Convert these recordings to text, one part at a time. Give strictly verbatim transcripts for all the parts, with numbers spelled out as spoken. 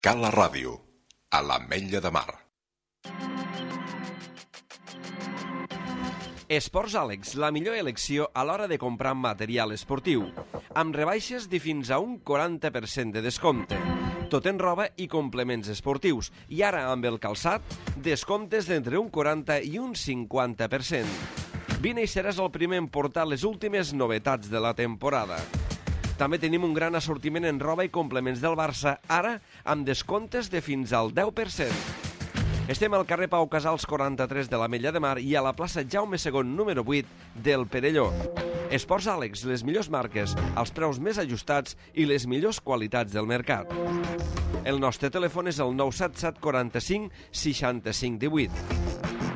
Cala Ràdio, a l'Ametlla de Mar. Esports Àlex, la millor elecció a l'hora de comprar material esportiu, amb rebaixes de fins a un quaranta per cent de descompte. Tot en roba i complements esportius. I ara, amb el calçat, descomptes d'entre un quaranta i un cinquanta per cent. Vine i seràs el primer en portar les últimes novetats de la temporada. També tenim un gran assortiment en roba i complements del Barça, ara amb descomptes de fins al deu per cent. Estem al carrer Pau Casals quaranta-tres de l'Ametlla de Mar i a la plaça Jaume segon número vuit del Perelló. Esports Àlex, les millors marques, els preus més ajustats i les millors qualitats del mercat. El nostre telèfon és el nou set set quaranta-cinc seixanta-cinc divuit.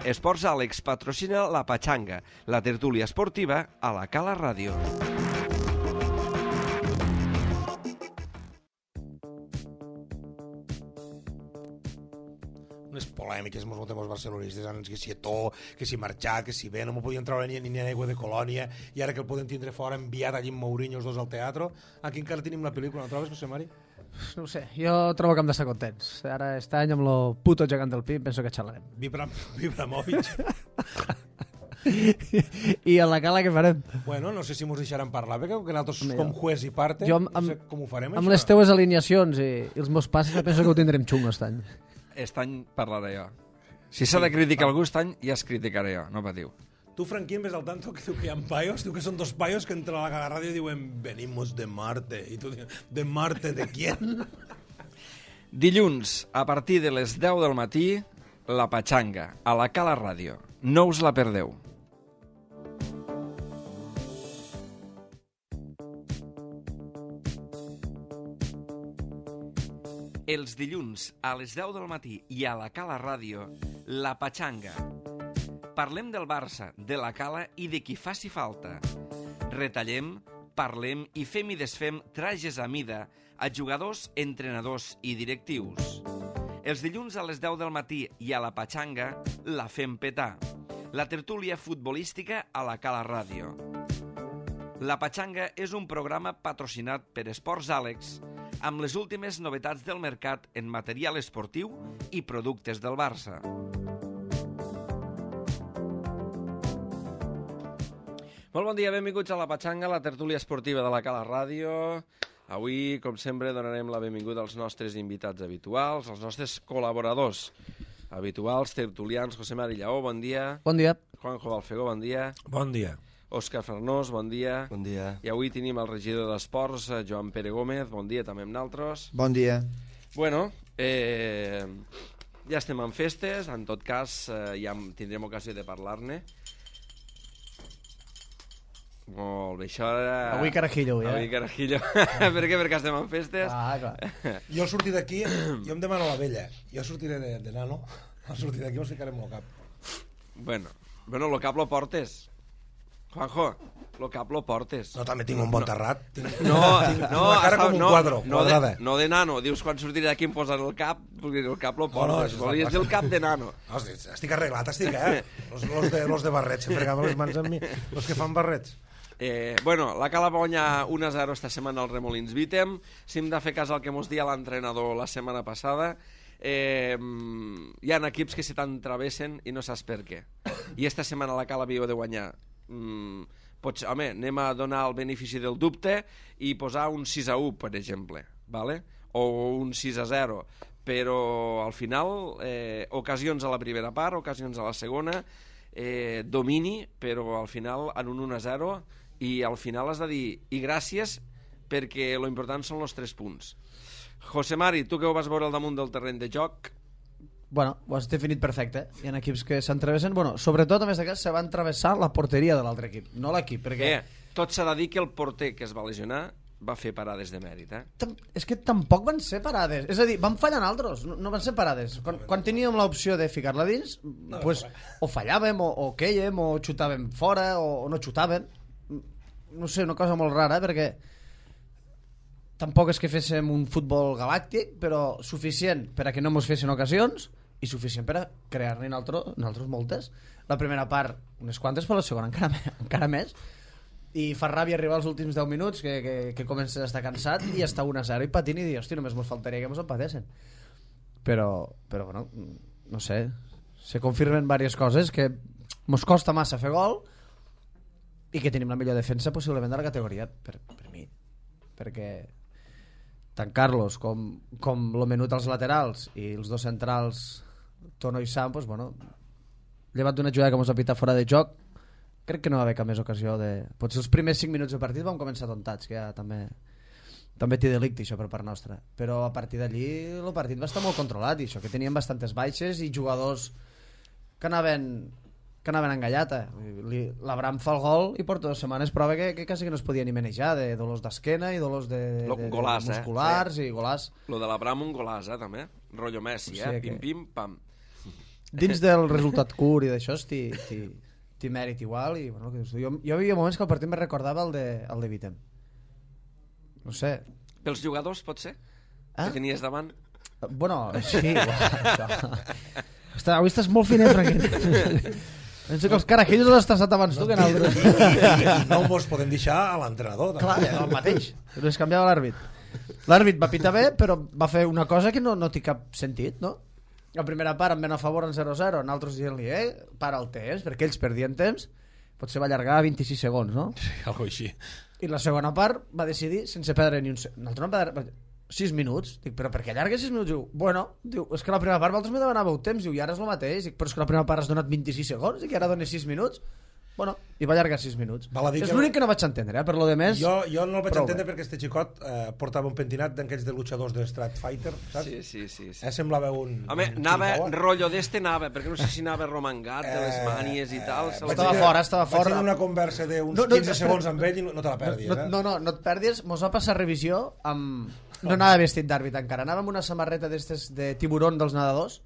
Esports Àlex patrocina la Patxanga, la tertúlia esportiva a la Cala Ràdio. Unes polèmiques, mos notem els barcelonistes, que si Eto'o, que si marxat, que si bé, no m'ho podien treure ni, ni en aigua de Colònia, i ara que el podem tindre fora, enviat allí amb Mourinho els dos al teatre. Aquí encara tenim la pel·lícula, no trobes, José Mari? No ho sé, jo trobo que hem d'estar contents. Ara, aquest any, amb lo puto gegant del Pim, penso que xalarem. Vibram, Vibramovic. I a la Cala què farem? Bueno, no sé si mos deixaran parlar, perquè com que nosaltres com juez i parte, jo, amb, no sé com ho farem, amb això. Les teues alineacions i, i els meus passes, penso que ho tindrem xungo aquest any. Aquest any parlaré jo. Si s'ha de criticar algú aquest any, ja es criticaré jo, no patiu. Tu, Franquín, ves al tanto que diu que hi ha paios, diu que són dos paios que entren a la Cala Ràdio i diuen venimos de Marte. I tu dius, ¿de Marte de quién? Dilluns, a partir de les deu del matí, la Patxanga, a la Cala Ràdio. No us la perdeu. Els dilluns, a les deu del matí i a la Cala Ràdio, la Patxanga. Parlem del Barça, de la Cala i de qui faci falta. Retallem, parlem i fem i desfem trajes a mida a jugadors, entrenadors i directius. Els dilluns a les deu del matí i a la Patxanga la fem petar. La tertúlia futbolística a la Cala Ràdio. La Patxanga és un programa patrocinat per Esports Àlex, amb les últimes novetats del mercat en material esportiu i productes del Barça. Molt bon dia, benvinguts a la Patxanga, la tertúlia esportiva de la Cala Ràdio. Avui, com sempre, donarem la benvinguda als nostres invitats habituals, als nostres col·laboradors habituals, tertulians. José Mari Lleó, bon dia. Bon dia. Juanjo Balfegó, bon dia. Bon dia. Òscar Farnós, bon dia. Bon dia. I avui tenim el regidor d'Esports, Joan Pere Gómez, bon dia també amb naltros. Bon dia. Bueno, eh, ja estem en festes, en tot cas eh, ja tindrem ocasió de parlar-ne. Molt bé, això era... Avui carajillo, ja. Avui carajillo. Per què? Perquè estem en festes. Ah, clar. Jo al sortir d'aquí, jo em demano la vella. Jo sortiré de, de nano, al sortir d'aquí mos ficarem el cap. Bueno, bueno, lo cap lo portes. Juanjo, lo cap lo portes. No, també tinc un bon terrat. Tinc, No, tinc no, una cara està- com un no, quadre, no, quadrada. de, no de nano. Dius, quan sortiré d'aquí em posen el cap, perquè el cap lo No, no, portes. això és la Volies dir el cap de nano. No, estic, estic arreglat, estic, eh? Los, los, de, los de barrets, se fregaven les mans amb mi. Los que fan barrets. Eh, bueno, la Cala va guanyar un a zero esta setmana al Remolins Vitem. Si hem de fer cas al que mos dia l'entrenador la setmana passada, eh, hi ha equips que se t'entravessen i no saps per què. I esta setmana la Cala havia de guanyar. Mm, pots, home, anem a donar el benefici del dubte i posar un sis a u, per exemple, vale? O un sis a zero, però al final eh, ocasions a la primera part, ocasions a la segona, eh, domini, però al final en un un a zero, i al final has de dir i gràcies, perquè lo important són els tres punts. José Mari, tu que ho vas veure al damunt del terreny de joc, Bueno, ho has definit perfecte. Hi ha equips que s'entrevessen. Bueno, sobretot, a més d'aquest, se va entrevessar la porteria de l'altre equip, no l'equip, perquè... eh, tot s'ha de dir que el porter que es va lesionar va fer parades de mèrit, eh? Tam- És que tampoc van ser parades. És a dir, van fallar altres, no, no van ser parades. Quan, quan teníem l'opció de ficar-la dins, no, pues, o fallàvem, o, o quèiem, o xutàvem fora, o, o no xutàvem. No sé, una cosa molt rara, perquè tampoc és que féssim un futbol galàctic, però suficient per a que no mos fessin ocasions i suficient per a crear-ne nosaltres moltes. La primera part, unes quantes, però la segona encara, encara més. I fa ràbia arribar als últims deu minuts, que, que, que comences a estar cansat i està un a zero i patint i dir, hosti, només mos faltaria que mos empatessin. però, però bueno, no sé, se confirmen diverses coses que mos costa massa fer gol i que tenim la millor defensa possiblement de la categoria per, per mi, perquè tant Carlos com, com lo menut als laterals i els dos centrals Tono i Sam, pues, bueno, llevat d'una jugada que mos ha pitat fora de joc, crec que no va haver cap més ocasió de... Potser els primers cinc minuts de partit vam començar tontats, que ja també també té delicte això per part nostra, però a partir d'allí el partit va estar molt controlat i això, que teníem bastantes baixes i jugadors que anaven que anaven engallata. L'Abraham fa el gol i porta dues setmanes prova que, que quasi que no es podia ni manejar, de dolors d'esquena i dolors de, de, de, golàs, de musculars eh? i golàs. Lo de l'Abraham un golàs, eh, també. Rollo Messi, eh? Sí, Pim, que... pim, pam. Dins del resultat curt i d'això t'hi mèrit igual i, bueno, que jo, jo hi havia moments que el partit me recordava el de, el de Vitem. No sé. Pels jugadors, pot ser? Ah? Que tenies davant? Bueno, sí. Ostres, avui estàs molt finet, Franquet. Penso que els carajillos els has tastat abans tu que nosaltres. No mos podem deixar a l'entrenador. Clar, el mateix. Però es canviava l'àrbit. L'àrbit va pitar bé, però va fer una cosa que no, no té cap sentit, no? La primera part em ven a favor en zero a zero, nosaltres dient-li, eh, para el temps, perquè ells perdien temps, potser va allargar vint-i-sis segons, no? Sí, algo així. I la segona part va decidir sense perdre ni un segon. Nosaltres no perdre sis minuts. Dic, però per què allarga sis minuts? Diu, bueno, diu, és que la primera part vosaltres me demanàveu temps, diu, i ara és el mateix. Dic, però és que la primera part has donat vint-i-sis segons i que ara dones sis minuts. Bueno, i va allargar sis minuts. És l'únic que no vaig entendre, eh? Per lo de més... Jo, jo no el vaig prou entendre bé. perquè este xicot eh, portava un pentinat d'aquells de luchadors de Street Fighter, saps? Sí, sí, sí. sí. Eh, semblava un... Home, un anava, xiricaua. rotllo d'este anava, perquè no sé si anava romangat de les mànies i tal. Eh, se vaig la- Estava tenir- fora, estava fora. Vaig tenir una conversa d'uns No, no, quinze espera. segons amb ell i no, no te la perdis, no, eh? no, no, no et perdis, mos va passar revisió amb... No anava vestit d'àrbit encara, anava amb una samarreta d'estes de tiburon dels nedadors.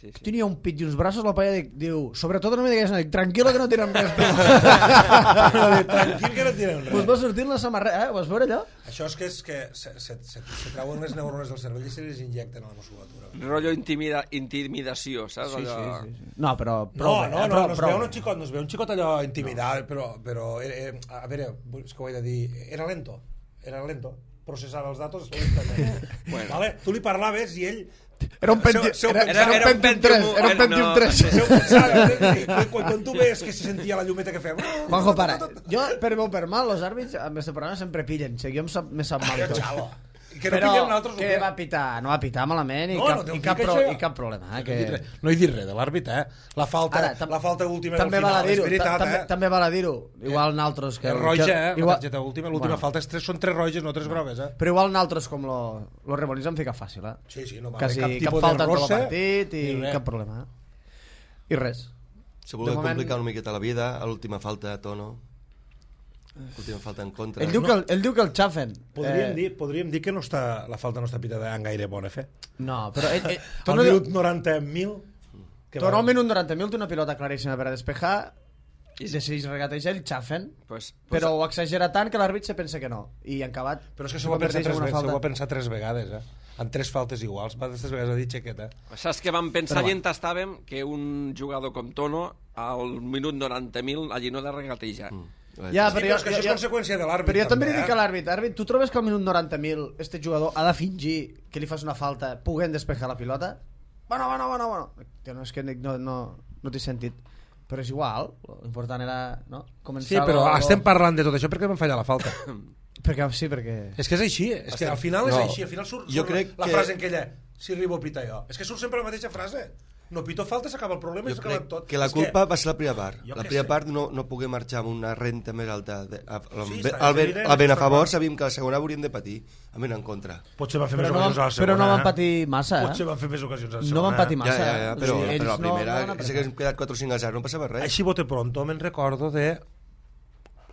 Sí, sí. Tenia un pit i uns braços, la paella dic, diu, sobretot no me digues nada, dic, tranquil·lo que no tenen res. Tranquil que no tenen Us res. va sortir la samarreta, eh? Ho vas veure allò? Això és que, és que se, se, se, se treuen les neurones del cervell i se les injecten a la musculatura. Rotllo intimida, intimidació, saps? Sí, Allò... sí, sí, sí. No, però... No, prou no, bé, no, eh? no, Prou- no, es prou veu bé. un xicot, no es veu un xicot allò intimidat, però, però era, era, a veure, és que ho he de dir, era lento, era lento, processar els datos lentament. Bueno. Vale? Tu li parlaves i ell... Era un Pentium Seu- seu era, pensava- era, un Pentium tres, era un Pentium no, tres. Seu pensava, eh? quan, quan, quan tu ves que se sentia la llumeta que fem... Juanjo, para. Jo, per bo o per mal, els àrbits amb este programa sempre pillen. O sigui, jo em sap, me sap mal Jo, tot. xalo. Que no Però pillem nosaltres... que va pitar, no va pitar malament i, No, cap, no t'ho i, cap, dic, pro, això. i cap problema. Eh, No he que... dit res- No he dit res de l'àrbit, eh? La falta, Ara, tam- la falta última també del val a final, és dir-ho, veritat, ta- també, eh? també val a dir-ho. Igual naltros que... És roja, que, eh? La igual, targeta última, l'última Bueno. falta és tres, són tres roges, no tres grogues, eh? però igual naltros com lo, lo remolins han ficat fàcil, eh? Sí, sí, no va Quasi haver cap cap tipus falta de en tot el rosse partit i ni res. cap problema. Eh? I res. Se voleu De moment- complicar una miqueta la vida, a l'última falta, Tono. L'última falta en contra. Ell diu, que el, ell diu que el xafen. Podríem, Eh, dir, podríem dir que no està, la falta no està pitada en gaire bona fe. No, però ell, ell, Al Tono, minut noranta mil... que Tono va- al minut noranta mil té una pilota claríssima per a despejar i decideix regatejar el xafen, Pues, pues, però ho exagera tant que l'àrbit se pensa que no. I en acabat... Però és que s'ho va, pensar converteix tres, en una ve- s'ho falta. va pensar tres vegades, eh? En tres faltes iguals. Va, tres vegades ha dit xequeta. Saps que vam pensar Però va. i entastàvem que un jugador com Tono al minut noranta mil allí no ha de regatejar. Mm. Ja, Sí, però és que això és conseqüència de l'àrbit, Però jo també li també, dic eh? a l'àrbit, àrbit, tu trobes que al minut noranta mil este jugador ha de fingir que li fas una falta puguent despejar la pilota? Bueno, bueno, bueno, bueno. Tio, no, és que no, no, no té sentit. Però és igual, l'important era no? començar... Sí, però lo- estem parlant de tot això perquè vam fallar la falta. Perquè, sí, perquè... És que és així, és que al final és No, així, al final surt, jo surt crec la que- frase en aquella, si arribo a pitar jo. És que surt sempre la mateixa frase. No pito falta, s'acaba el problema i Jo s'acaba crec tot. que la És culpa va ser la primera part. Jo La què primera sé. part no, no pogué marxar amb una renta més alta. De, a, a, Sí, sí, està, al, ben, evident, al ben a està favor clar. sabíem que la segona hauríem de patir. A mi en contra. Potser van fer Però més no, ocasions a van, la segona. però no van eh? patir massa, Potser eh? van fer més ocasions a la No segona. van patir Ja, massa. ja, ja, eh? però, O sigui, però la ells no- primera, no van que s'hagués quedat quatre o cinc a zero, no passava res. Així bote pronto me'n recordo de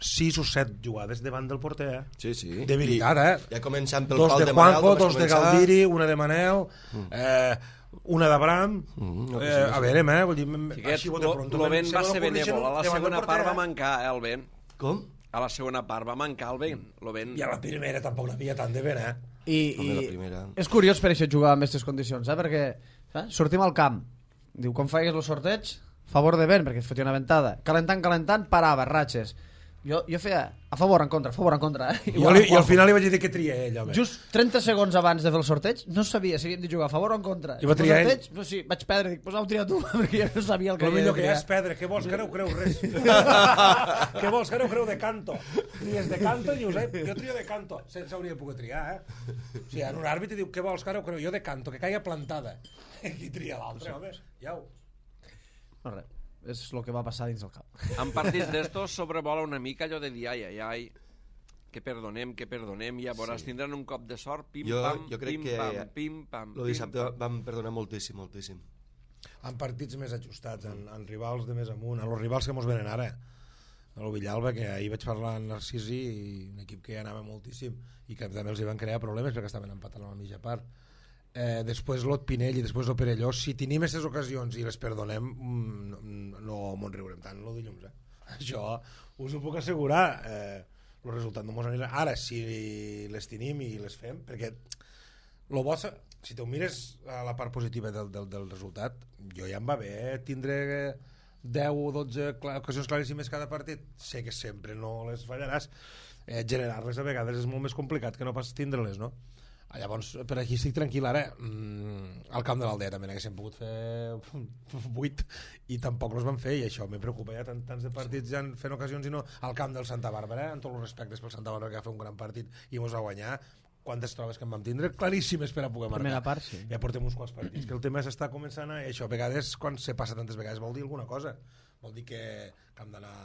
sis o set jugades davant del porter. Eh? Sí, sí. De veritat, eh? I, ja començant pel Dos pal de de Manel, Juanjo, que vas dos de començar. Galdiri, una de Manel, eh, una d'Abraham. Mm, no, eh, sí, sí. a veure, eh? Vull dir, Xiquets, així bote lo, pronto. lo me'n- vent se va me ser n'ocorreixen benèvol. A la davant del segona porter, part va eh? mancar, eh, el vent. Com? A la segona part va mancar el vent. Lo vent... I a la primera tampoc n'havia tant de vent, eh? I, Home, la i primera. és curiós per això jugar amb aquestes condicions, eh? Perquè eh? sortim al camp, diu, com faigues el sorteig, favor de vent, perquè es fotia una ventada, calentant, calentant, parava, ratxes. Jo, jo feia a favor, en contra, a favor, en contra. Eh? Jo li, I al final li vaig dir que tria ell, home. Just trenta segons abans de fer el sorteig, no sabia si havíem de jugar a favor o en contra. I va triar ell? sorteig, però sí, vaig perdre, dic, pues ho tria tu, perquè jo no sabia el que El havia millor de que hi ha triar. és perdre. Què vols, que no ho creu res? Què vols, que no ho creu de canto? Ni és de canto ni us he... Jo trio de canto. Sense hauria de poder triar, eh? O sigui, en un àrbitre diu, què vols, que no ho creu? Jo de canto, que caiga plantada. Qui tria l'altre, home? Iau. No, res, és el que va passar dins el cap. En partits d'estos sobrevola una mica allò de dir ai, ai, ai, que perdonem, que perdonem, i llavors sí. tindran un cop de sort, pim, jo, pam, jo crec pim, que pam, pim, pam, el pim, dissabte pam. vam perdonar moltíssim, moltíssim. En partits més ajustats, en, en rivals de més amunt, en els rivals que mos venen ara, a lo Villalba, que ahir vaig parlar amb Narcisi, i un equip que anava moltíssim i que també els hi van crear problemes perquè estaven empatant a la mitja part. Eh, després l'Ot Pinell i després el Perelló, si tenim aquestes ocasions i les perdonem, no, no mos riurem tant el dilluns, eh? Això us ho puc assegurar. Eh, el resultat no mos anirà. Ara, si les tenim i les fem, perquè lo bo, si te ho mires a la part positiva del, del, del resultat, jo ja em va bé tindre deu o dotze ocasions claríssimes cada partit. Sé que sempre no les fallaràs. Eh, generar-les a vegades és molt més complicat que no pas tindre-les, no? Llavors, per aquí estic tranquil ara. Mm, al camp de l'Aldea també n'haguéssim pogut fer vuit i tampoc els van fer, i això me preocupa. Ja tant, tants de partits ja fent ocasions i no. Al camp del Santa Bàrbara, amb tots els respectes pel Santa Bàrbara, que va fer un gran partit i mos va guanyar. Quantes trobes que en vam tindre? Claríssimes per a poder marcar. Primera part, sí. Ja portem uns quants partits. Que el tema s'està començant a... Això, a vegades, quan se passa tantes vegades, vol dir alguna cosa. Vol dir que, que hem d'anar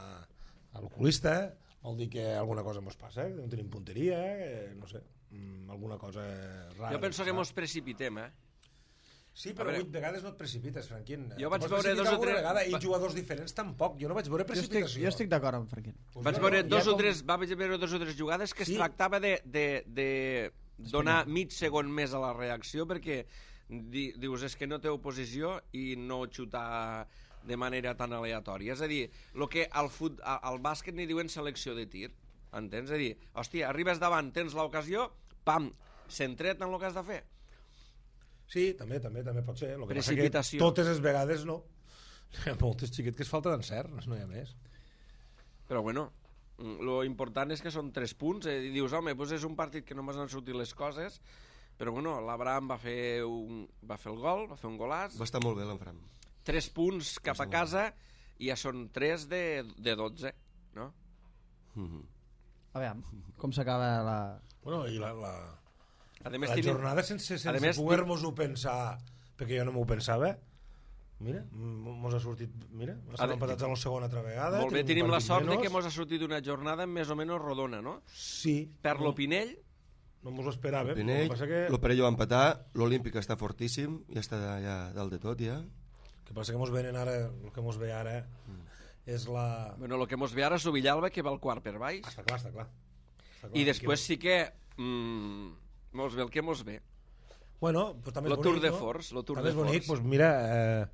a l'oculista, vol dir que alguna cosa mos passa, que no tenim punteria, eh, no sé. Mm, alguna cosa rara. Jo penso que mos precipitem, eh? Sí, però vuit vegades no et precipites, Franquín. Jo vaig veure dos o tres... Vegada, I jugadors diferents tampoc. Jo no vaig veure precipitació. Jo estic, jo estic d'acord amb Franquín. Pues Vaig jo veure no. dos Ja o com- tres, va veure dos o tres jugades que es Sí. tractava de, de, de donar mig segon més a la reacció, perquè di, dius, és que no té oposició, i no xutar de manera tan aleatòria. És a dir, el que al, fut, al bàsquet n'hi diuen selecció de tir, entens? És a dir, hòstia, arribes davant, tens l'ocasió, pam, centret en el que has de fer. Sí, també, també, també pot ser. Lo que passa Precipitació. que totes les vegades no. Hi ha moltes xiquet que es falta d'encert, no hi ha més. Però bueno, lo important és que són tres punts, eh? I dius, home, doncs és un partit que només han sortit les coses, però bueno, l'Abraham va fer un, va fer el gol, va fer un golàs, Va estar molt bé l'Enfram. tres punts cap a casa, i ja són tres de, de dotze, no? Mm-hmm. A veure, com s'acaba la... Bueno, i la, la, A més, la tenim- jornada sense, a sense més, poder-nos-ho pensar, perquè jo no m'ho pensava, mira, m- mos ha sortit, mira, estem A- empatats a la segona altra vegada. Molt bé, un tenim la partit sort de menys. que mos ha sortit una jornada més o menys rodona, no? Sí. Per l'Opinell, No mos ho esperàvem. El Pinell, que passa que... l'Operello va empatar, l'Olímpic està fortíssim, ja està ja dalt de tot, ja. El que passa que mos venen ara, el que mos ve ara és la... bueno, el que mos ve ara és el Villalba, que va al quart per baix, Està clar, està clar. Està clar. i després sí que mm, mos ve el que mos ve. Bueno, pues també és Lo bonic, Tour de no? Force, lo Tour també de és bonic, Force. pues mira, eh,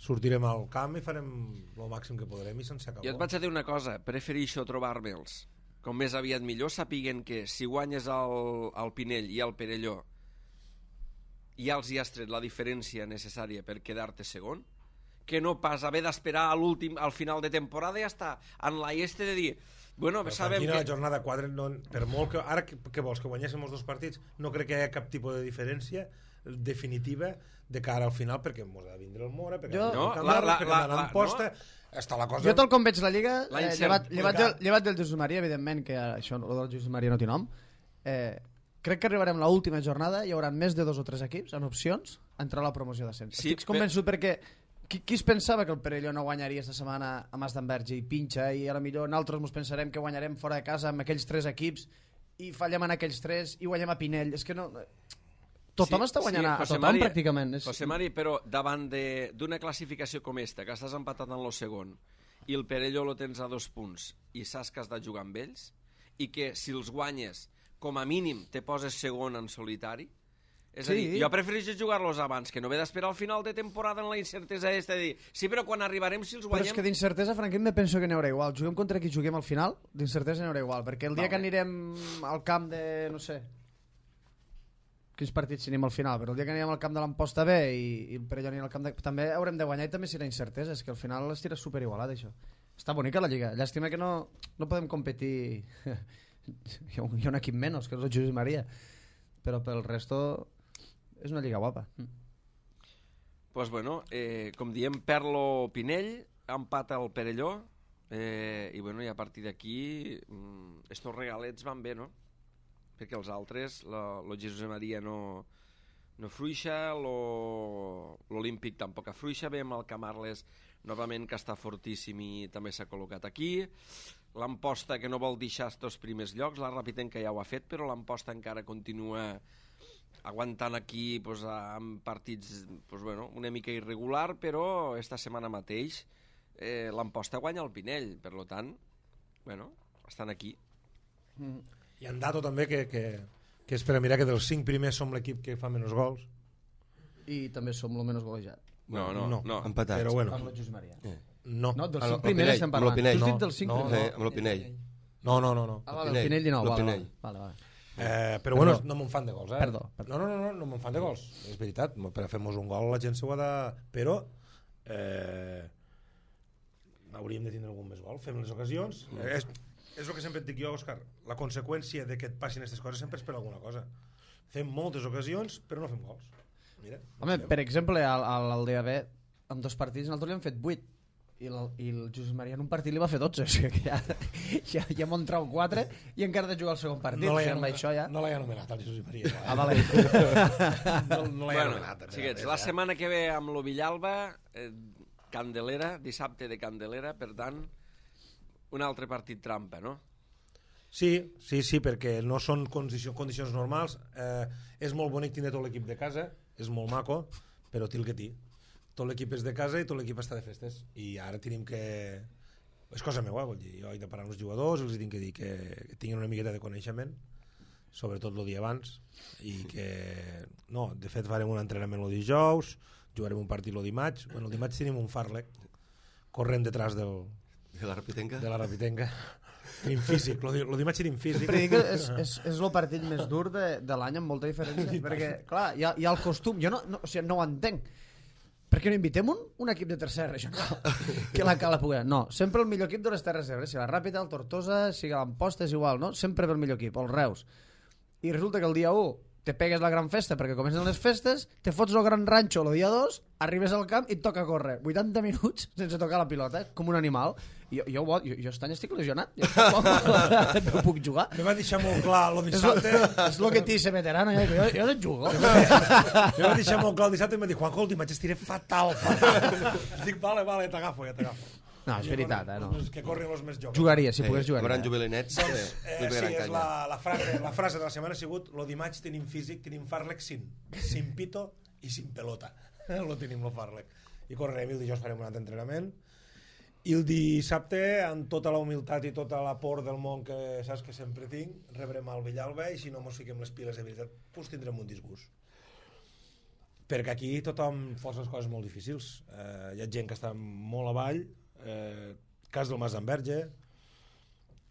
sortirem al camp i farem el màxim que podrem i sense acabar. Jo et vaig a dir una cosa, prefereixo trobar-me'ls com més aviat millor, sàpiguen que si guanyes el, el Pinell i el Perelló ja els hi has tret la diferència necessària per quedar-te segon, que no pas haver d'esperar a l'últim, al final de temporada, ja està en la este de dir, bueno, Però sabem Franquina, que... la jornada quatre, no, per molt que... Ara, que, que vols, que guanyéssim els dos partits? No crec que hi hagi cap tipus de diferència definitiva de cara al final, perquè mos ha de vindre el Mora, perquè Jo- no, No, la- la- perquè la- hem d'anar la- en posta... Està la cosa... Jo tal com veig la Lliga, La eh, incert- llevat, llevat, del, Clar. llevat del Jesús Maria, evidentment, que això, el del Jesús Maria no té nom, eh, crec que arribarem a l'última jornada, hi haurà més de dos o tres equips en opcions a entrar a la promoció d'ascens. Sí, Estic convençut perquè qui, qui es pensava que el Perelló no guanyaria esta setmana a Mas d'Enverge i pinxa, i a la millor nosaltres ens pensarem que guanyarem fora de casa amb aquells tres equips i fallem en aquells tres i guanyem a Pinell. És que no... Tothom Sí, està guanyant sí, a José tothom, Mari, pràcticament. És... José Mari, però davant de- d'una classificació com esta, que estàs empatat en el segon, i el Perelló lo tens a dos punts, i saps que has de jugar amb ells, i que si els guanyes, com a mínim, te poses segon en solitari, és a Sí. dir, jo prefereixo jugar-los abans, que no haver d'esperar al final de temporada en la incertesa esta de dir, sí, però quan arribarem, si els Però guanyem... és que d'incertesa, Franquín, me penso que n'hi haurà igual. Juguem contra qui juguem al final, d'incertesa n'hi haurà igual. Perquè el dia Vale. que anirem al camp de, no sé, quins partits si anem al final, però el dia que anirem al camp de l'Amposta B i, i el Perelló anirà al camp de... també haurem de guanyar i també serà incertesa. És que al final es tira superigualat, això. Està bonica la Lliga. Llàstima que no, no podem competir... hi, ha un, hi ha un equip menys, que és el Josep Maria. Però pel resto és una Lliga guapa. Pues bueno, eh, com diem, Perlo Pinell, empat al Perelló, eh, i bueno, i a partir d'aquí mm, estos regalets van bé, no? Perquè els altres, el Jesús Maria no, no fruixa, l'Olímpic tampoc afruixa, veiem el Camarles novament que està fortíssim i també s'ha col·locat aquí, l'Amposta que no vol deixar estos primers llocs, la Rapitenca ja ho ha fet, però l'Amposta encara continua aguantant aquí pues, amb partits pues, bueno, una mica irregular, però esta setmana mateix eh, l'Amposta guanya el Pinell, per tant, bueno, estan aquí. Mm. Hi ha un dato també que, que, que és per a mirar que dels cinc primers som l'equip que fa menys gols. I també som el menys golejat. No, no, no. no. Empatats. Però bueno. Amb el Josep Maria. Eh. No. No, dels Amb cinc el primers Pinell, estem amb el parlant. Pinell. Tu has No, dit dels cinc no, primers? Eh, amb el Pinell. No, no, no. no. Ah, vale, Pinell. el Pinell dinou. El Vale, Pinell. vale, vale. Eh, però bueno, no me'n fan de gols, eh? Perdó, perdó. No, no, no, no, no me'n fan de gols. És veritat, per a fer-nos un gol la gent s'ho ha de... Però eh, hauríem de tindre algun més gol, fem les ocasions. Mm. Eh, és, és el que sempre et dic jo, Òscar. La conseqüència de que et passin aquestes coses sempre és per alguna cosa. Fem moltes ocasions, però no fem gols. Mira, Home, per exemple, al, al D A B, amb dos partits, nosaltres li hem fet vuit. I el, i el Josep Maria en un partit li va fer dotze, o sigui que ja, ja, ja m'ho han trau quatre i encara de jugar el segon partit, no o l'he sigui, amb això ja... no anomenat el Josep Maria. Ah, vale. no no l'he Bueno, anomenat. xiquets, la setmana que ve amb lo Villalba, eh, Candelera, dissabte de Candelera, per tant, un altre partit trampa, no? Sí, sí, sí, perquè no són condicions, condicions normals. Eh, és molt bonic tindre tot l'equip de casa, és molt maco, però té el que té. Tot l'equip és de casa i tot l'equip està de festes. I ara tenim que... És cosa meva, vol dir. Jo he de parar amb els jugadors, els tinc que dir que, que tinguin una miqueta de coneixement, sobretot el dia abans, i que... No, de fet farem un entrenament el dijous, jugarem un partit el dimarts. Bueno, el dimarts tenim un Farlek corrent detrás del... De la Rapitenca? De la Rapitenca. Tenim físic, el dimarts tenim físic. Sempre dic que és, és, és el partit més dur de, de l'any amb molta diferència, perquè, clar, hi ha, hi ha el costum, jo no, no, o sigui, no ho entenc. Per què no invitem un, un equip de tercera regional que la cala pugui... No, sempre el millor equip de les Terres d'Ebre, si la Ràpita, el Tortosa, si l'Amposta, és igual, no? Sempre el millor equip, el Reus. I resulta que el dia u te pegues la gran festa perquè comencen les festes, te fots el gran ranxo el dia dos, arribes al camp i et toca córrer vuitanta minuts sense tocar la pilota, com un animal. Jo, jo, jo, jo este any estic lesionat, jo no puc jugar. Me va deixar molt clar el dissabte. És el que t'hi ser veterano, jo, jo, jo no jugo. Me va deixar molt clar el dissabte i em va dir, Juanjo, el dimarts estiré fatal, fatal. Dic, vale, vale, t'agafo, ja t'agafo. No, és veritat, eh, no. Que corren els més joves. Jugaria, si Sí, pogués jugar. Hauran jubilinets, eh, Eh, li sí, pegaran és canya. la, la, frase, la frase de la setmana ha sigut lo dimarts tenim físic, tenim Farlek sin, sin pito i sin pelota. Lo tenim, lo Farlek. I correrem i el dijous farem un altre entrenament. I el dissabte, amb tota la humilitat i tota la por del món que saps que sempre tinc, rebrem al Villalba i si no mos fiquem les piles de veritat, doncs tindrem un disgust. Perquè aquí tothom força les coses molt difícils. Eh, hi ha gent que està molt avall, eh, cas del Mas d'Enverge,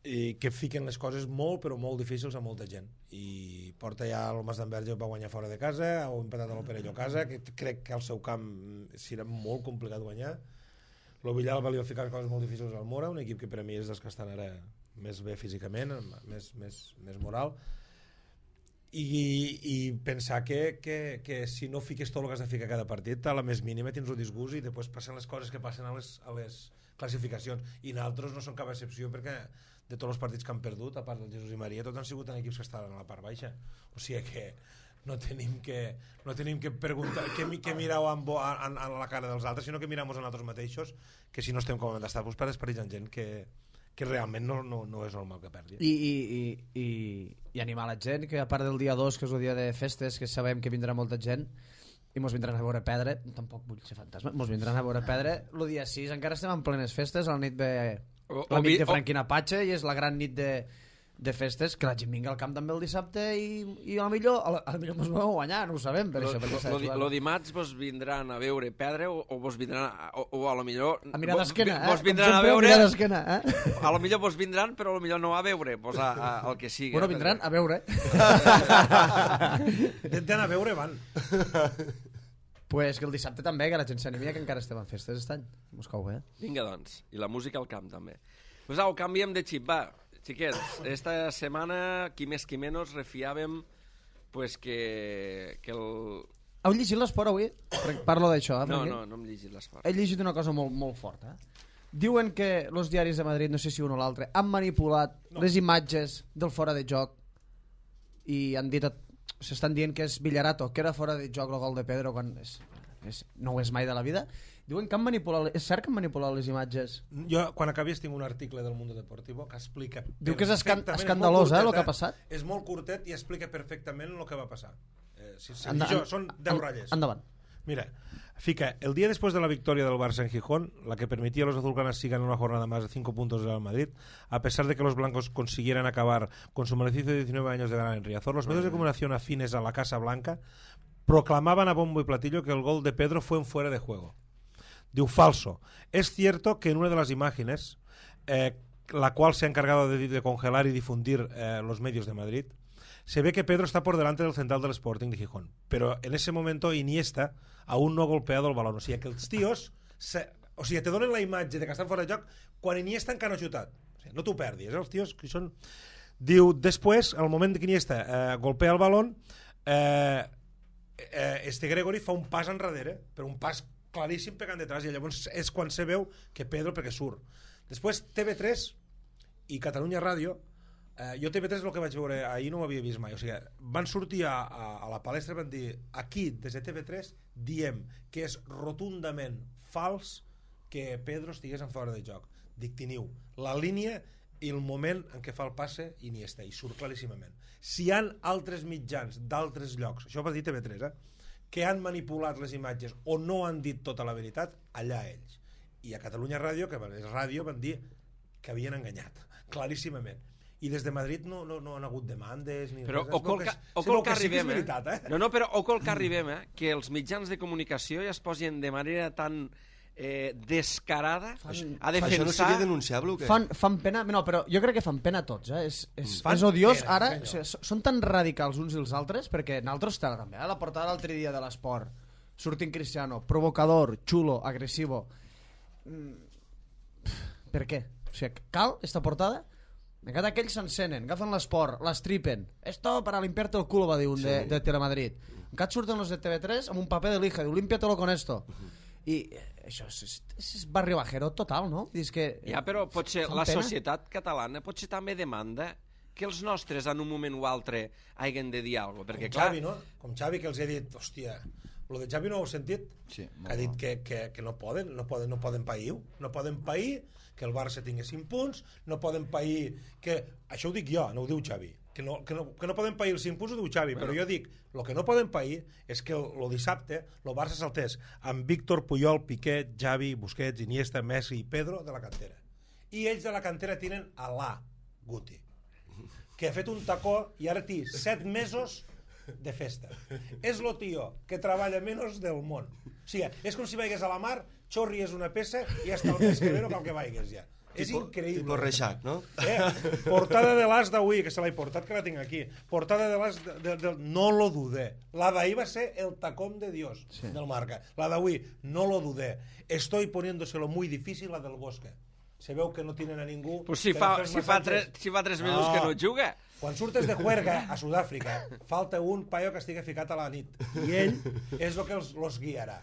i que fiquen les coses molt però molt difícils a molta gent, i porta ja el Mas d'Enverge, va guanyar fora de casa, ha empatat a l'Operello a casa, que crec que al seu camp serà molt complicat guanyar. El Villalba li va ficar coses molt difícils al Mora, un equip que per a mi és dels que estan ara més bé físicament, més, més, més moral, i, i pensar que, que, que si no fiques tot el que has de ficar cada partit, a la més mínima tens un disgust i després passen les coses que passen a les, a les classificacions, i nosaltres no són cap excepció perquè de tots els partits que han perdut, a part del Jesús i Maria, tots han sigut en equips que estaven a la part baixa, o sigui que no tenim que, no tenim que preguntar que, que mireu en, en, en la cara dels altres, sinó que mirem a nosaltres mateixos, que si no estem com hem d'estar, doncs per esperits en gent que, que realment no, no, no és normal que perdi. I, i, i, i, i animar la gent, que a part del dia dos, que és el dia de festes, que sabem que vindrà molta gent, i mos vindran a veure pedra, tampoc vull ser fantasma, mos vindran a veure pedra, el dia sis encara estem en plenes festes, la nit ve O- la o nit vi- de o- Franquina Patxa, i és la gran nit de, de festes, que la gent vinga al camp també el dissabte, i, i a lo millor, a lo, a lo millor mos vau guanyar, no ho sabem, per Lo, això, perquè s'ha lo, de jugar. lo dimarts vos vindran a veure pedra o, o vos vindran a, o, o a lo millor A mirar vos- d'esquena, eh? vos Com vindran a sempre, veure mirar d'esquena, eh? a lo millor vos vindran però a lo millor no a veure pues a, a, el que sigui. Bueno, vindran a veure. Intenten a veure, van. Pues que el dissabte també, que la gent s'animia, que encara estem en festes aquest any. Mos cau bé. Vinga, doncs. I la música al camp, també. Pues au, canviem de xip, va. Xiquets, esta setmana, qui més qui menys, refiàvem pues que, que el... Heu llegit l'esport avui? Parlo d'això, eh? No, perquè no, no hem llegit l'esport. He llegit una cosa molt, molt forta. Diuen que els diaris de Madrid, no sé si un o l'altre, han manipulat no. les imatges del fora de joc i han dit, s'estan dient que és Villarato, que era fora de joc el gol de Pedro quan és, és, no ho és mai de la vida. Diuen que han manipulat, és cert que han manipulat les imatges? Jo, quan acabis, tinc un article del Mundo Deportivo que explica... Diu que és escan escandalós, eh, el que ha passat? És molt curtet i explica perfectament el que va passar. Eh, si, si, Anda, jo, són deu ratlles. Endavant. Mira, fica, el día después de la victoria del Barça en Gijón, la que permitía a los azulgranas sigan una jornada más de cinco puntos del Real Madrid, a pesar de que los blancos consiguieran acabar con su maleficio de diecinueve años de ganar en Riazor, los medios de comunicación afines a la Casa Blanca proclamaban a bombo y platillo que el gol de Pedro fue en fuera de juego. Diu, falso. Es cierto que en una de las imágenes, eh, la cual se ha encargado de, de congelar y difundir eh, los medios de Madrid, se ve que Pedro está por delante del central del Sporting de Gijón, pero en ese momento Iniesta aún no ha golpeado el balón. O sigui que els tios se, o sigui, te donen la imatge de que estan fora de joc quan Iniesta encara no ha xutat. O sigui, no t'ho perdis, eh? Els tios que són... Diu, després, al moment que Iniesta eh, golpea el balón, eh, eh, este Gregori fa un pas enrere, però un pas claríssim pegant detrás, i llavors és quan se veu que Pedro, perquè surt. Després T V tres i Catalunya Ràdio. Uh, jo T V tres el que vaig veure ahir no ho havia vist mai, o sigui, van sortir a, a, a la palestra i van dir, aquí des de T V tres diem que és rotundament fals que Pedro estigués en fora de joc. Dic, teniu la línia i el moment en què fa el passe Iniesta, i surt claríssimament. Si hi ha altres mitjans d'altres llocs, això va dir T V tres, eh, que han manipulat les imatges o no han dit tota la veritat, allà ells. I a Catalunya Ràdio, que és ràdio, van dir que havien enganyat, claríssimament. I des de Madrid no, no, no han hagut demandes ni però res. o col que, o col que, que arribem, sí que veritat, eh? No, no, però o col que arribem, eh? Que els mitjans de comunicació ja es posin de manera tan eh, descarada fan, a defensar... Això no seria denunciable o què? Fan, fan pena, no, però jo crec que fan pena tots, eh? És, és, és odiós, pena, ara, o sigui, són tan radicals uns i els altres, perquè nosaltres també, a la portada l'altre dia de l'esport, surtin Cristiano, provocador, chulo, agresivo... Mm, per què? O sigui, cal esta portada? Encara aquells s'encenen, agafen l'esport, l'estripen. Esto para limpiarte el culo, va dir un sí. de, de Telemadrid. Encara surten els de T V tres amb un paper de lija, diu, límpiatelo con esto. Uh -huh. I això és, és, és barri bajero total, no? És que, ja, però potser la pena. Societat catalana potser també demanda que els nostres en un moment o altre hagin de dir alguna cosa. Perquè, com clar... Xavi, no? Com Xavi, que els he dit, hòstia, lo de Xavi no ho heu sentit? Sí, que ha dit que, que, que no poden, no poden, no poden pair, no poden pair que el Barça tingui cinc punts, no poden pair que... Això ho dic jo, no ho diu Xavi. Que no, que no, que no poden pair els cinc punts ho diu Xavi, bueno. Però jo dic, el que no poden pair és que el, el dissabte el Barça saltés amb Víctor, Puyol, Piqué, Xavi, Busquets, Iniesta, Messi i Pedro de la cantera. I ells de la cantera tenen a l'A, Guti, que ha fet un tacó i ara té set mesos de festa. És lo tio que treballa menys del món. O sigui, és com si vaigués a la mar, xorries una peça i hasta el mes que ve no cal que vaigues ja. És tipo, increïble. Tipo Reixac, no? Eh, portada de l'As d'avui, que se l'he portat, que la tinc aquí. Portada de l'As, de, de, de, no lo dudé. La d'ahir va ser el tacón de Dios, sí. Del Marca. La d'avui, no lo dudé. Estoy poniéndoselo muy difícil, la del Bosque. Se veu que no tienen a ningú... Pues si, fa, si, fa tres, si fa tres mesos no. que no juga. Quan surtes de juerga a Sud-àfrica, falta un paio que estigui ficat a la nit. I ell és el que els, los guiarà.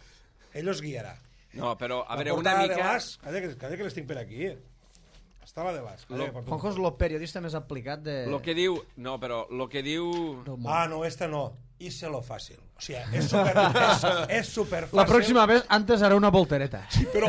Ell els guiarà. No, però, a la veure, una mica... Calla que, calla que les tinc per aquí. Està la de l'As. Juanjo és el periodista més aplicat de... Lo que diu... No, però lo que diu... Ah, no, esta no. Hice-lo fàcil. O sigui, és super, és, és super fàcil. La pròxima vez, antes haré una voltereta. Sí, però...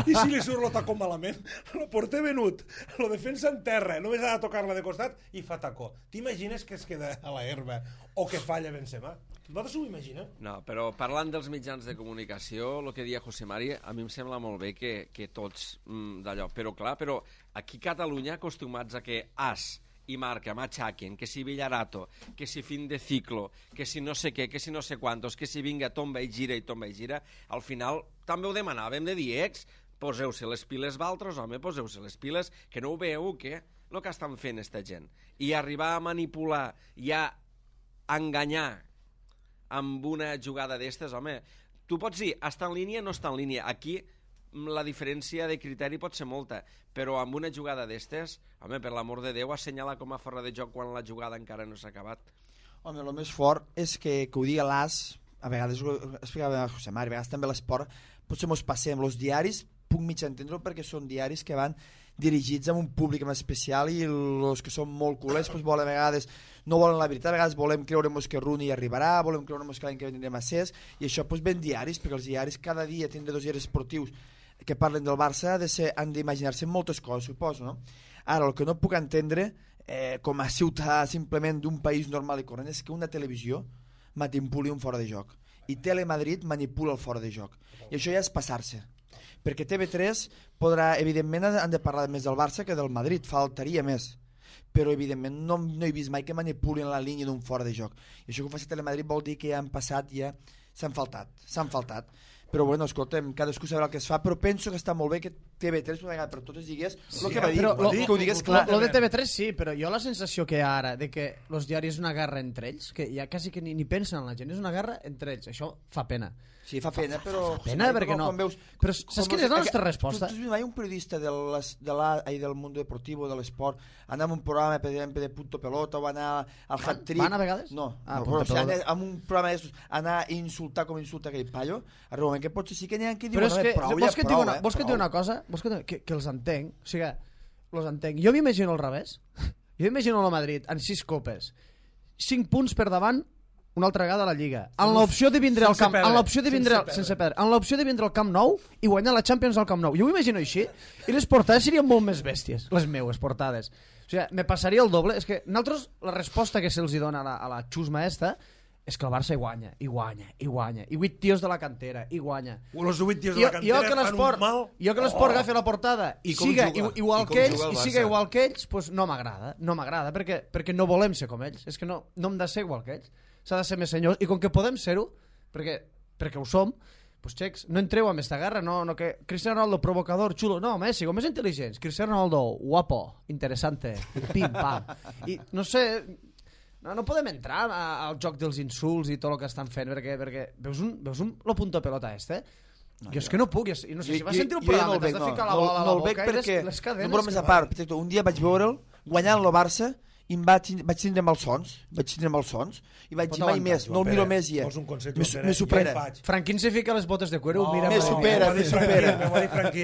I si li surt lo tacó malament? Lo porté venut, lo defensa en terra, només ha de tocar-la de costat i fa tacó. T'imagines que es queda a la herba o que falla Benzema? Vosaltres ho imagineu? No, però parlant dels mitjans de comunicació, el que dia José Mari, a mi em sembla molt bé que, que tots mm, d'allò... Però clar, però aquí a Catalunya acostumats a que As i Marca m'aixaquen, que si Villarato, que si fin de ciclo, que si no sé què, que si no sé quantos, que si vinga tomba i gira i tomba i gira, al final també ho demanàvem de dir, ex, poseu-se les piles valtros, home, poseu-se les piles, que no ho veieu, que el que estan fent esta gent. I arribar a manipular i a enganyar amb una jugada d'estes, home, tu pots dir, està en línia, no està en línia. Aquí la diferència de criteri pot ser molta, però amb una jugada d'estes, home, per l'amor de Déu, assenyala com a fora de joc quan la jugada encara no s'ha acabat. Home, el més fort és que, que ho digui l'As, a vegades ho explicava a José Mari, a vegades també l'esport, potser mos passem, els diaris, puc mig entendre-ho perquè són diaris que van dirigits a un públic en especial i els que són molt culers pues, volen, a vegades no volen la veritat, a vegades volem creure-nos que Rooney arribarà, volem creure-nos que l'any que tindrem a Cés i això pues, ven diaris, perquè els diaris cada dia tindré dos diaris esportius que parlen del Barça de ser, han d'imaginar-se moltes coses, suposo, no? Ara, el que no puc entendre eh, com a ciutadà simplement d'un país normal i corrent és que una televisió manipuli un fora de joc i Telemadrid manipula el fora de joc i això ja és passar-se perquè T V tres podrà, evidentment han de parlar més del Barça que del Madrid, faltaria més però evidentment no, no he vist mai que manipulin la línia d'un fora de joc i això que ho faci Telemadrid vol dir que ja han passat ja s'han faltat, s'han faltat però bueno, escolta'm, cadascú sabrà el que es fa però penso que està molt bé que T V tres una vegada per totes digués sí, el que va dir, però, lo, que ho digués clar. Lo de T V tres sí, però jo la sensació que hi ha ara de que els diaris és una guerra entre ells, que ja quasi que ni, ni pensen en la gent, és una guerra entre ells, això fa pena. Sí, fa pena, fa, però... Fa pena, perquè no. Veus, però saps quina és la nostra resposta? Tu, tu has vist mai un periodista de les, de la, ai, del món deportiu, de l'esport, anar a un programa, per exemple, de Punto Pelota, o anar al hat-trick... Van a vegades? No, ah, no però, o sigui, anar amb un programa d'estos, anar a insultar com insulta aquell paio, arriba un moment que potser sí que n'hi ha que diuen, però és que, prou, vols ja que et prou, digui una, eh, vols que et digui una cosa? Vols que, que, que els entenc, o sigui, els entenc. Jo m'imagino al revés. Jo m'imagino el Madrid en sis copes, cinc punts per davant, una altra vegada a la Lliga. En l'opció de vindre al camp, en l'opció de vindre sense perdre, en l'opció de vindre al Camp Nou i guanyar la Champions al Camp Nou. Jo ho imagino així i les portades serien molt més bèsties, les meues portades. O sigui, me passaria el doble, és que nosaltres la resposta que se'ls dona a la, a la xusma esta és que el Barça hi guanya, i guanya, i guanya, i vuit tios de la cantera, i guanya. Los vuit tios de la cantera jo que fan un mal... Jo que l'esport agafi la portada i siga juga, igual i que ells, juga i siga igual que ells, pues no m'agrada, no m'agrada, perquè, perquè no volem ser com ells, és que no, no hem de ser igual que ells, s'ha de ser més senyors, i com que podem ser-ho, perquè, perquè ho som, pues xecs, no entreu amb esta guerra, no, no que Cristiano Ronaldo provocador, xulo, no, Messi, com més intel·ligents, Cristiano Ronaldo, guapo, interesante, pim, pam, i no sé... No, no podem entrar a, al joc dels insults i tot el que estan fent, perquè, perquè veus, un, veus un, lo punto pelota este? No, jo és que no puc, i no sé si vas sentir el programa, t'has de ficar la bola a la boca i les, les cadenes. No, però més a part, un dia vaig veure'l guanyant el Barça i em vaig, vaig tindre malsons, vaig tindre malsons, i vaig dir mai més, no el miro més ja. Me supera. Franquín se fica les botes de cuero, mira. Me supera, me supera.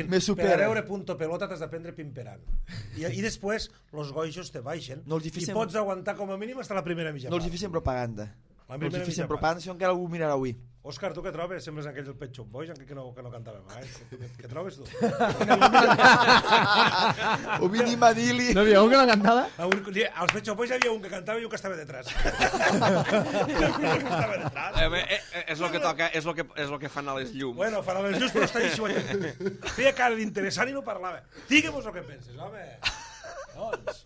Me supera. Per a veure punto pelota t'has d'aprendre pimperant. I, I després, los goixos te baixen i pots aguantar com a mínim fins a la primera mitja part. No els hi fem propaganda. No els hi fem propaganda, si encara algú mirarà avui. Òscar, tu què trobes? Sembles aquells del Pet Shop Boys, encara que no, que no cantàvem mai. Què, què trobes, tu? O Vini Manili. No havia un que no cantava? Als Pet Shop Boys hi havia un que cantava i un que estava detrás. estava detrás. Eh, eh, eh, és el que toca, és el que, és el que fan a les llums. Bueno, fan a les llums, però està així. Feia cara d'interessant i no parlava. Digue'm-nos el que penses, home. Doncs...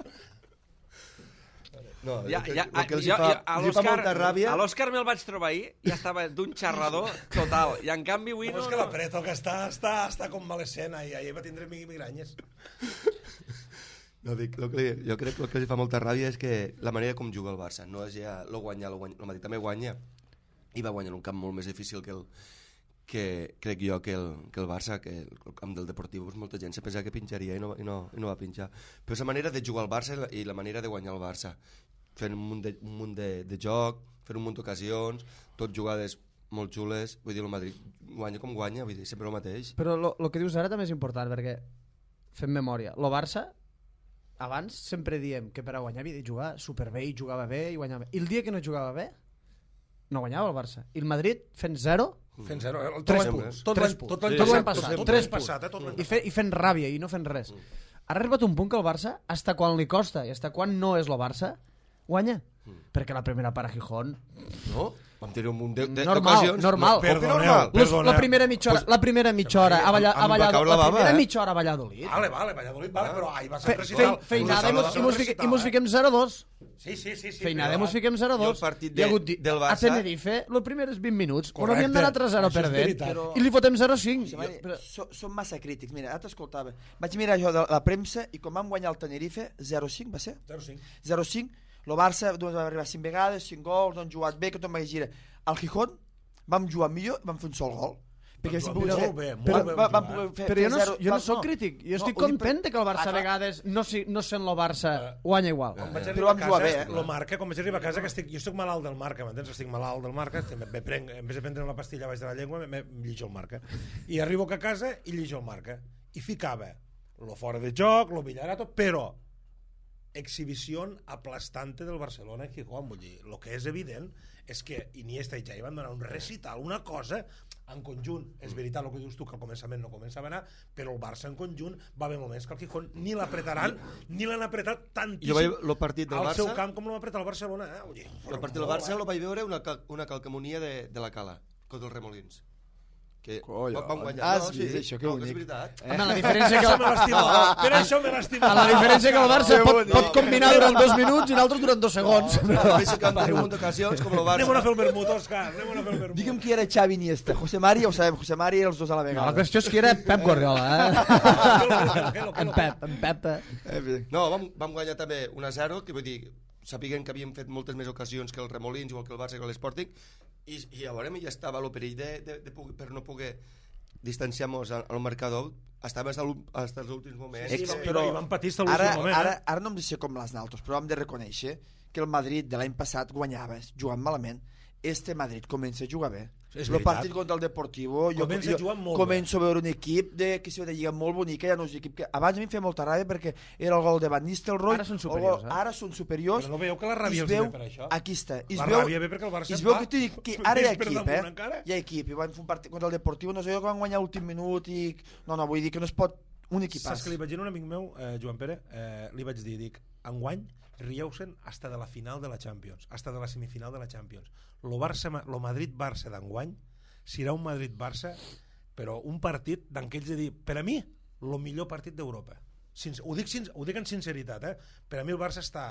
No, ja, que, ja, el que els jo, fa, jo, a els fa molta ràbia... A l'Òscar me'l vaig trobar ahir i estava d'un xerrador total. I en canvi avui no... No, és que l'apreto, que està, està, està com malescena i ahir va tindre migranyes. No, dic, lo que, jo crec que el que els fa molta ràbia és que la manera com juga el Barça. No és ja lo guanyar, lo guanyar. El Madrid també guanya i va guanyar en un camp molt més difícil que el que crec jo que el, que el Barça, que el camp del Deportiu, pues molta gent se pensava que pinxaria i no, i, no, i no va pinxar. Però és la manera de jugar al Barça i la, i la manera de guanyar el Barça. Fent un munt de, un munt de, de joc, fent un munt d'ocasions, tot jugades molt xules. Vull dir, el Madrid guanya com guanya, vull dir, sempre el mateix. Però el que dius ara també és important, perquè fem memòria. El Barça, abans sempre diem que per a guanyar havia de jugar superbé i jugava bé i guanyava bé. I el dia que no jugava bé, no guanyava el Barça. I el Madrid fent zero... Fent zero, eh? Tres punts. Tot l'any passat. Tres punts. I, fe, I fent ràbia i no fent res. Ha arribat un punt que el Barça, hasta quan li costa i hasta quan no és el Barça, guanya. Perquè la primera part a Gijón... No? Vam tenir un munt de, de, normal, normal. Perdoneu, perdoneu. La primera mitja hora, la primera mitja hora a Valladolid. La primera mitja hora a Valladolid. Vale, vale, Valladolid, vale, però ahí va ser recital. Feinada i mos fiquem zero dos. Sí, sí, sí. Feinada i mos fiquem zero dos. I el partit de, del Barça... A Tenerife, els primers vint minuts, on havíem d'anar tres zero perdent, i li fotem zero cinc. Som massa crítics. Mira, ara t'escoltava. Vaig mirar jo de la premsa i com vam guanyar el Tenerife, zero cinc, va ser? zero cinc. zero cinc. El Barça va arribar cinc vegades, cinc gols, no han jugat bé, que tot va gira. Al Gijón vam jugar millor, vam fer un sol gol. Perquè si Molt pogués bé, fer... molt bé. va- vam poder fer- Però jo fer no, zero- jo no va- sóc crític, jo estic ho dic content per- que el Barça Ah, a clar. vegades, no, si, no sent el Barça, guanya igual. Quan vaig Però arribar a vam jugar casa, bé, eh? lo marca, quan vaig arribar a casa, que estic, jo estic malalt del marca, m'entens? Estic malalt del marca, me, me prenc, en vez de prendre la pastilla baix de la llengua, me, me llijo el marca. I arribo a casa i llijo el marca. I ficava lo fora de joc, lo Villarato, però exhibició aplastante del Barcelona en Gijón. Vull dir, el que és evident és que Iniesta i Xavi van donar un recital, una cosa en conjunt. És veritat el que dius tu, que al començament no començava a anar, però el Barça en conjunt va haver moments que el Gijón ni l'apretaran, ni l'han apretat tantíssim Jo vaig el partit del al Barça, seu camp com l'ha apretat el Barcelona. Eh? Vull dir, el partit del Barça el vaig veure una, cal, una calcamonia de, de la Cala, contra els Remolins. Que Collons. van guanyar. Ah, no, sí, és això, que no, bonic. és veritat. Home, la diferència que... Això me l'estima. Per això me l'estima. La diferència que el Barça Que pot, bonic. pot combinar durant dos minuts i l'altre durant dos segons. No, no, no, que han tingut un munt d'ocasions com el Anem a Barça. fer el vermut, Òscar. Anem a fer el vermut. Digue'm qui era Xavi Iniesta. José Mari, ja ho sabem, José Mari i els dos a la No, vegada. la qüestió és que era Pep Guardiola, eh? En Pep, en Pep. eh? No, vam, vam guanyar també un a zero, que vull dir, sapiguem que havíem fet moltes més ocasions que el Remolins, igual que el Barça i que l'Sporting, i, i llavors ja estava el perill de, de, de, de, per no poder distanciar-nos al, al marcador, estava fins als últims moments. Sí, Ex- sí, però i van patir fins a Ara, l'últim moment. ara, eh? ara no hem de ser com les naltros, però hem de reconèixer que el Madrid de l'any passat guanyava jugant malament. Este Madrid comença a jugar bé. És El veritat. partit contra el Deportivo, jo, Comença jo jugant molt començo a veure un equip de, que se de lliga molt bonica, ja no és un equip que abans a mi em feia molta ràbia perquè era el gol de Van Nistelrooy. Ara són el superiors, gol- eh? Ara són superiors. Però no veieu que la ràbia i es els ve veu, per això? Aquí està. I es La veu, ràbia ve perquè el Barça i es et veu va que, t'ho dic, que ara hi ha més per equip, damunt eh? encara. Hi ha equip, i van fer un partit contra el Deportivo, no sé jo que van guanyar l'últim minut i... No, no, vull dir que no es pot un equipàs. Saps que li vaig dir a un amic meu, eh, Joan Pere, eh, li vaig dir, dic, enguany rieu-se'n hasta de la final de la Champions, hasta de la semifinal de la Champions. Lo, Barça, lo Madrid-Barça d'enguany serà un Madrid-Barça, però un partit d'aquells de dir, per a mi, el millor partit d'Europa. Sin, ho, dic, sin, ho dic en sinceritat, eh? Per a mi el Barça està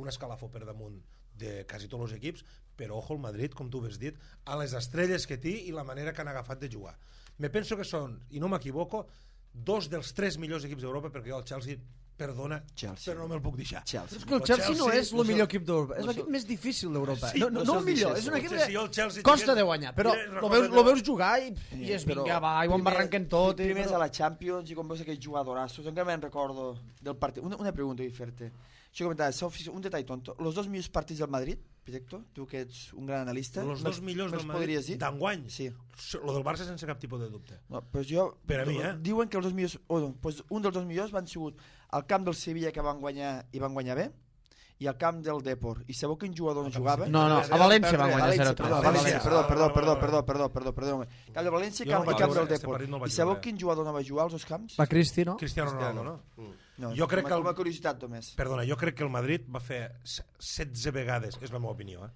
un escalafó per damunt de quasi tots els equips, però ojo el Madrid, com tu has dit, a les estrelles que té i la manera que han agafat de jugar. Me penso que són, i no m'equivoco, dos dels tres millors equips d'Europa, perquè jo el Chelsea, perdona, Chelsea. però no me'l puc deixar. Chelsea. És que el Chelsea no és el millor equip d'Europa, és l'equip més difícil d'Europa. Sí, No, no, no no se'ls el millor, deixés. és un equip Potser si jo el que Chelsea costa tingués- de guanyar, però Mira, lo recorda veus, allò. lo veus jugar i, i és Però vinga, va, i ho embarranquen tot. I, Primers però... a la Champions i com veus aquells jugadorassos, encara me'n recordo del partit. Una, una pregunta vull fer-te. Això comentava, un detall tonto. Los dos millors partits del Madrid, Directo, tu que ets un gran analista, Els dos millors me'ls del podries Madrid dir? d'enguany, Sí. lo del Barça sense cap tipus de dubte. No, pues jo, Per a mi, eh? Diuen que els dos millors, oh, no, pues un dels dos millors van sigut al camp del Sevilla, que van guanyar i van guanyar bé, i al camp del Depor. I sabeu quin jugador no jugava? No, no, a València van guanyar València, zero tres. perdó, València. València, perdó, Ah, perdó, vale, perdó, vale, perdó, vale. perdó, perdó, perdó, perdó. Camp de València Jo camp, no vaig i camp veure, del este Depor. partit no el vaig I sabeu veure. quin jugador no va jugar als dos camps? Va Cristi, no? Cristiano Ronaldo, no? No, Jo crec com, que el- com a curiositat només. Perdona, jo crec que el Madrid va fer se- setze vegades, és la meva opinió, eh?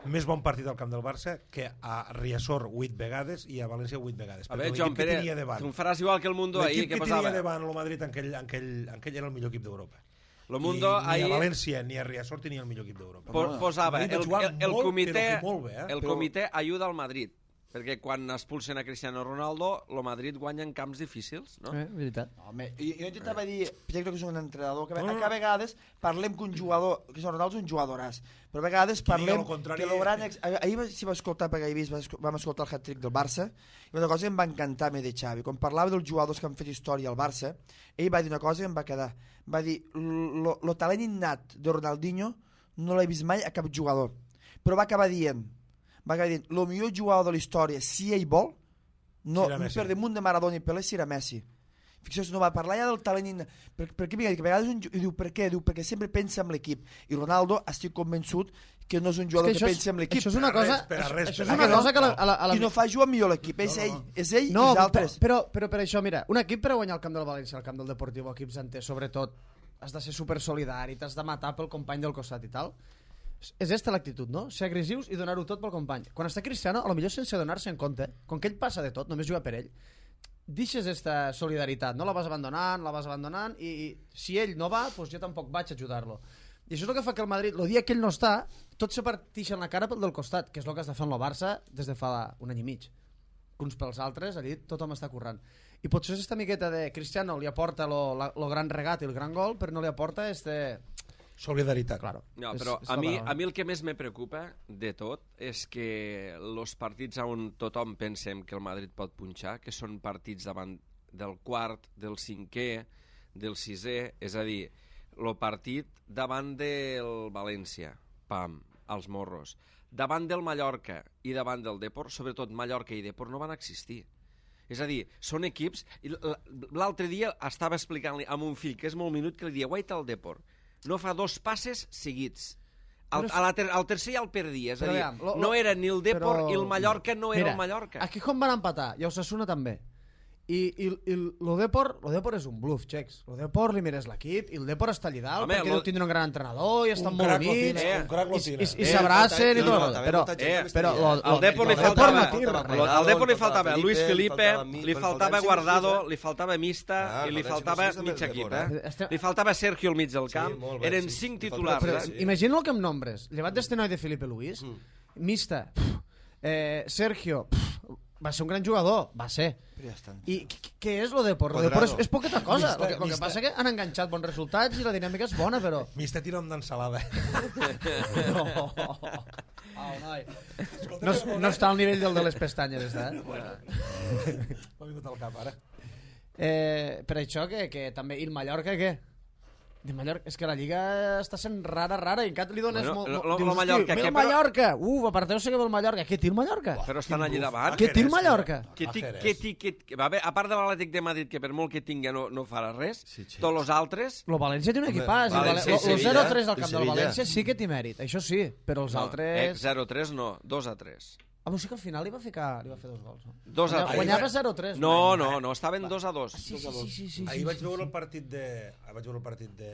més bon partit al camp del Barça que a Riazor vuit vegades i a València vuit vegades. A Perquè veure, l'equip Joan que Pere, tenia davant- tu em faràs igual que el Mundo ahir, l'equip que que posava. tenia davant el Madrid en aquell, en aquell, en aquell era el millor equip d'Europa. Lo Mundo I ni ahir a València ni a Riazor tenia el millor equip d'Europa. po- posava Madrid va el, jugar el, el molt, comitè, però que molt bé, eh? el Però- comitè ajuda al Madrid, perquè quan expulsen a Cristiano Ronaldo, el Madrid guanya en camps difícils, no? Eh, veritat. No, home, jo, jo intentava dir, crec que és un entrenador, que, No, no, no. que a vegades parlem que un jugador, que són Ronaldo és un jugadoràs, però a vegades Qui diga parlem el contrari- que el gran... Ex... Ahir va- si va escoltar, perquè ahir vist, va esco- vam escoltar el hat-trick del Barça, i una cosa que em va encantar me de Xavi, quan parlava dels jugadors que han fet història al Barça, ell va dir una cosa que em va quedar, va dir, el talent innat de Ronaldinho no l'he vist mai a cap jugador, però va acabar dient, va acabar dient, el millor jugador de la història, si ell vol, no, Serà Messi. per damunt de Maradona i Pelé, si era Messi. Fixeu-vos, no va parlar ja del talent innat. Per, per què? Que a vegades un, ju- i diu, per què? Diu, perquè sempre pensa en l'equip. I Ronaldo, estic convençut que no és un jugador que, això, pensa en l'equip. això és una Per a cosa, res, per a això, res, això per és a una res. cosa que a la, a la, a la... I no fa jugar millor l'equip, és No, ell, no. és ell No, i els altres. però, però per això, mira, un equip per a guanyar el camp del València, el camp del Deportivo, equips enters, sobretot, has de ser super solidari, t'has de matar pel company del costat i tal. És esta l'actitud, no? Ser agressius i donar-ho tot pel company. Quan està Cristiano, a lo millor sense donar-se en compte, com que ell passa de tot, només juga per ell, deixes esta solidaritat, no? La vas abandonant, la vas abandonant, i, i si ell no va, doncs jo tampoc vaig a ajudar-lo. I això és el que fa que el Madrid, el dia que ell no està, tots se partixen la cara pel del costat, que és el que està fent el Barça des de fa un any i mig. Uns pels altres, allí tothom està currant. I potser és esta miqueta de Cristiano li aporta lo, la, lo gran regat i el gran gol, però no li aporta este, Solidaritat. Claro. No, És- però és a la mi, paraula. a mi el que més me preocupa de tot és que els partits on tothom pensem que el Madrid pot punxar, que són partits davant del quart, del cinquè, del sisè, és a dir, el partit davant del València, pam, als morros, davant del Mallorca i davant del Depor, sobretot Mallorca i Depor no van existir. És a dir, són equips... i l- L'altre dia estava explicant-li a mon fill, que és molt minut, que li dia, guaita el Depor, no fa dos passes seguits. Al, Però és- a la ter al tercer ja el perdia, és a Però dir, aviam, lo- lo- no era ni el Depor però- i el Mallorca no era Mira, el Mallorca. Aquí com van empatar, i Osasuna també. I, i, i lo Depor, lo Depor és un bluff, Chex. Lo Depor li mires l'equip i el Depor està allà dalt Home, perquè lo- deu tindre un gran entrenador i estan Un molt crac lo units tiene, eh, un crac lo i, tiene. i, i Eh, s'abracen i no, tot. també Però, molta gent eh, que però estaria- lo, Al Depor li lo faltava, no tira faltava res. al Depor li faltava faltava Felipe, Luis Felipe, faltava mi- li faltava faltaven cinc o Guardado, sis, eh? li faltava Mista Ah, i li faltaven faltava cinc o sis mig també el equip. Depor, Eh? eh? Li faltava Sergio al mig del camp. molt bé, Eren sí, cinc li titulars. faltava- Però eh? sí. imagina el que em nombres. Llevat d'este noi de Felipe Luis, Mista, pf, eh, Sergio, pf, va ser un gran jugador, va ser. Però ja està. I què- què és lo Depor? Lo Cuadrado. Depor és, és poqueta cosa. Mista, Lo que, lo que mista. passa que han enganxat bons resultats i la dinàmica és bona, però... M'està tirant d'ensalada. No. Au, noi. No, no està al nivell del de les pestanyes, està, eh? M'ha vingut al cap, ara. eh per això que, que també... I el Mallorca, què? De Mallorca, és que la Lliga està sent rara, rara, i encara li dones Bueno, molt... lo- molt lo- dius, lo Mallorca, "Hosti, ve què, el però- Mallorca! Uf, aparteu sé que ve el Mallorca. Què té el Mallorca? Però estan allà davant. Què té el Mallorca? Que ti, Jerez. que ti, que, que, a, veure, a part de l'Atlètic de Madrid, que per molt que tingui no, no farà res, Sí, sí. tots els altres... Lo València té un equipàs. València València, i lo, lo Sevilla, zero a tres al i camp del Sevilla. València sí que té mèrit, això sí, però els No, eh, altres... zero a tres no, dos a tres. Ah, però sí que al final li va, ficar, li va fer dos gols. No? dos a Guanya- tres. Guanyava zero a tres. No, no, no, estaven dos a dos. Sí, sí, sí, sí, sí, Ahir sí, vaig sí, veure sí. el partit de... ahir vaig veure el partit de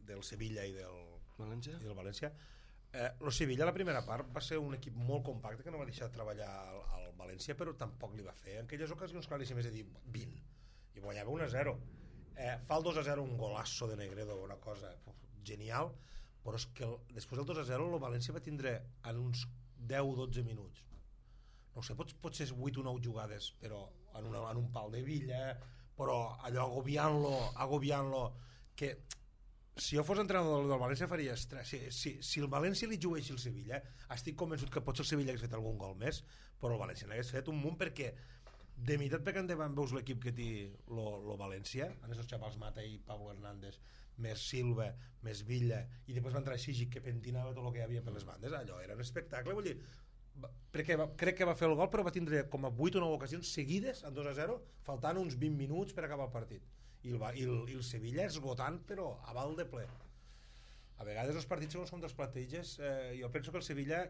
del Sevilla i del, València? i del València. Eh, el Sevilla, la primera part, va ser un equip molt compacte que no va deixar treballar al, al València, però tampoc li va fer. En aquelles ocasions claríssimes de dir vint, i guanyava un a zero. Eh, fa el dos a zero un golasso de Negredo, una cosa uf, genial, però és que el, després del dos a zero el València va tindre en uns deu o dotze minuts, no ho sé, pot, pot ser vuit o nou jugades, però en, una, en un pal de Villa, però allò agobiant-lo, agobiant-lo, que si jo fos entrenador del, del València faria estrès. Si, si, si el València li jugués el Sevilla, estic convençut que potser el Sevilla hagués fet algun gol més, però el València n'hagués fet un munt, perquè de meitat per endavant veus l'equip que té lo, lo València, amb els xavals Mata i Pablo Hernández, més Silva, més Villa, i després va entrar Sigic, que pentinava tot el que hi havia per les bandes. Allò era un espectacle, vull dir, va- perquè va, crec que va fer el gol, però va tindre com a vuit o nou ocasions seguides en dos a zero, faltant uns vint minuts per acabar el partit. I el, va- i el, i el Sevilla esgotant, però a val de ple. A vegades els partits segons com dels plateges, eh, jo penso que el Sevilla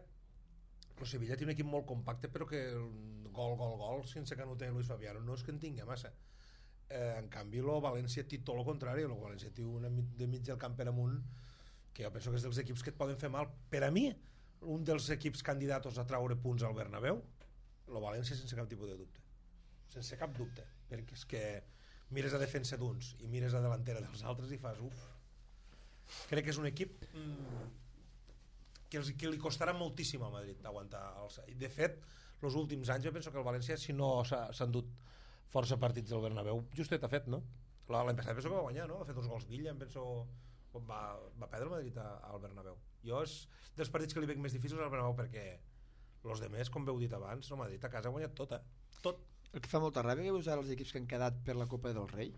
el Sevilla té un equip molt compacte, però que el gol, gol, gol sense Canute i Luis Fabiano no és que en tingui massa. Eh, en canvi el València té tot el contrari, el València té una mi- de mig del camp per amunt que jo penso que és dels equips que et poden fer mal. Per a mi, un dels equips candidats a traure punts al Bernabéu, el València sense cap tipus de dubte, sense cap dubte, perquè és que mires a defensa d'uns i mires a delantera dels altres i fas uf. Crec que és un equip mm, que, els, que li costarà moltíssim al Madrid aguantar els... I de fet, els últims anys jo penso que el València, si no s'ha s'ha endut força partits del Bernabéu, justet ha fet, no? La- L'any passat penso que va guanyar, no? Ha fet dos gols Villa, em penso... Va, va perdre el Madrid a- al Bernabéu. Jo és dels partits que li veig més difícils al Bernabéu, perquè els demés, com heu dit abans, el Madrid a casa ha guanyat tot, eh? Tot. El que fa molta ràbia que veus ara els equips que han quedat per la Copa del Rei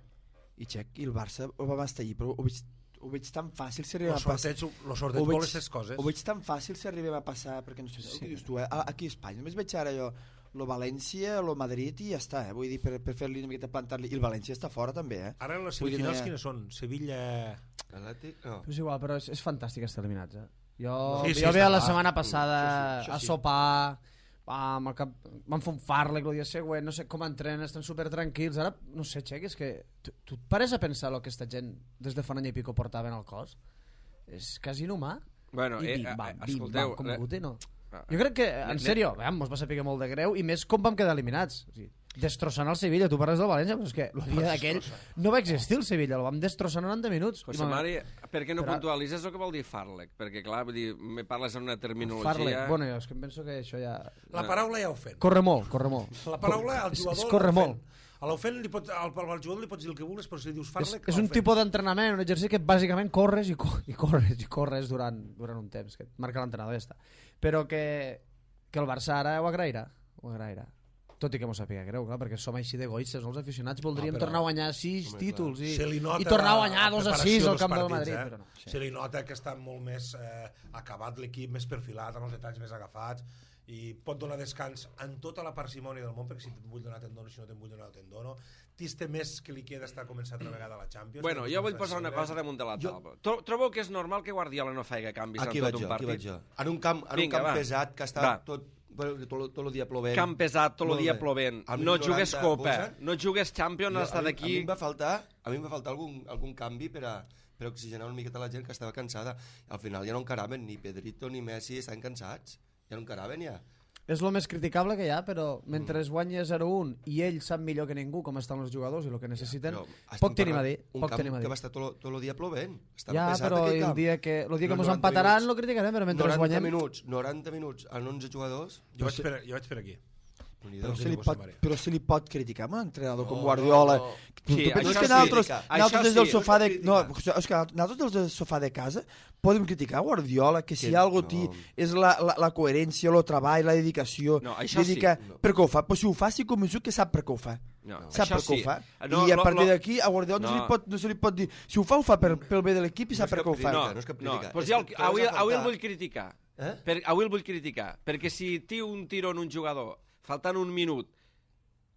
i Xec, i el Barça ho va estar allí, però ho veig, ho veig tan fàcil si arribem El a passar. sorteig, el sorteig Ho veig- vol aquestes coses. Ho veig tan fàcil si arribem a passar, perquè no sé, sí. Què dius tu, eh? A- aquí a Espanya només veig ara jo lo València, lo Madrid i ja està, eh? Vull dir, per, per fer-li una miqueta plantar-li, i el València està fora també, eh? Ara les Vull dir, no semifinals hi ha- quines són? Sevilla... Atlètic? No. Però és igual, però és, és fantàstic estar eliminats, eh? Jo, Sí, sí, jo està veia la clar. setmana passada Això sí, això a sí. sopar, amb el cap, van fer un farlec el dia següent, no sé com entrenen, estan super tranquils. Ara, no sé, Xec, és que tu, tu et pares a pensar el que aquesta gent des de fa un any i pico portaven al cos? És quasi inhumà. Bueno, I eh, bim, eh, bam, bim, escolteu, bam, com eh, Guti, no? ah, Jo crec que, en ne- sèrio, veiem, mos va saber molt de greu, i més com vam quedar eliminats. O sigui, destrossant el Sevilla, tu parles del València, però és que el dia d'aquell no va existir el Sevilla, el vam destrossar en noranta minuts. I José vam- Mari, per què no Però- puntualitzes el que vol dir farlec? Perquè, clar, vull dir, me parles en una terminologia... Farlek, bueno, jo és que em penso que això ja... La paraula ja ho fem. Corre molt, corre molt. La paraula, el És- jugador... és corre l'ha molt. fet. A l'Ofen, li pots, al, al jugador li pots dir el que vulguis, però si li dius És, far-le... és un tipus d'entrenament, un exercici que bàsicament corres i, co i corres i corres durant, durant un temps, que et marca l'entrenador i ja està. Però que, que el Barça ara ho agrairà, ho agrairà. Tot i que m'ho sàpiga greu, clar, perquè som així d'egoistes, els aficionats voldríem No, però- tornar a guanyar sis Home, títols i, Se li nota i tornar a la- guanyar la dos a preparació sis al dels camp del partits, Madrid. eh? Però no, sí. Se li nota que està molt més eh, acabat l'equip, més perfilat, amb els detalls més agafats, i pot donar descans en tota la parsimònia del món, perquè si te'n vull donar te'n dono, si no te'n vull donar te'n dono. Tiste més que li queda estar començat altra vegada a la Champions. Bueno, jo vull posar una cosa damunt de la taula. Jo... Trobo que és normal que Guardiola no faci canvis Aquí en vaig tot jo, un aquí partit. vaig jo. En un camp, en Vinga, un camp va. pesat que està Va. tot, bueno, tot, tot el dia plovent. Camp pesat, tot el Molt dia bé. plovent. Al No minut jugues noranta, Copa, Bojan, no jugues Champions, jo- has estat a mi- aquí... A mi em va faltar, a mi em va faltar algun, algun canvi per a, per a oxigenar una miqueta la gent que estava cansada. Al final ja no encaraven, ni Pedrito ni Messi estan cansats. Ja no encaraven ja. És el més criticable que hi ha, però mentre es guanya zero un i ell sap millor que ningú com estan els jugadors i el que necessiten, Però poc estem tenim a parlant dir. Un Poc camp tenim a dir. que va estar tot, tot el dia plovent. Estava Ja, pesat però aquell el camp. dia que, el dia que No, mos noranta empataran minuts. lo criticarem, però mentre es noranta guanyem... minuts, noranta minuts en onze jugadors. Jo vaig, per, jo vaig per aquí. Però Déu se, li que pot, José María. però se li pot criticar a un entrenador No, com Guardiola. no, no. Tu, Sí, tu penses això que sí. nosaltres, Això nosaltres des sí. del sofà de... No No, és que nosaltres des del sofà de casa podem criticar Guardiola, que si Que hi ha algú no. ti és la, la, la coherència, el treball, la dedicació. No, això sí. Dedica, No. Per què ho fa? Però si ho fa, estic convençut que sap per què ho fa. No, Sap això per què sí. ho fa. No, I a lo- partir lo- d'aquí a Guardiola no. No. se li pot, no se li pot dir... Si ho fa, ho fa per, pel bé de l'equip i No sap és per cap què ho fa. crítica, No, no és cap no, crítica. pues És jo que el, trobes avui, a avui el faltar. vull criticar. Eh? Per, avui el vull criticar, perquè si tiu un tiro en un jugador, faltant un minut,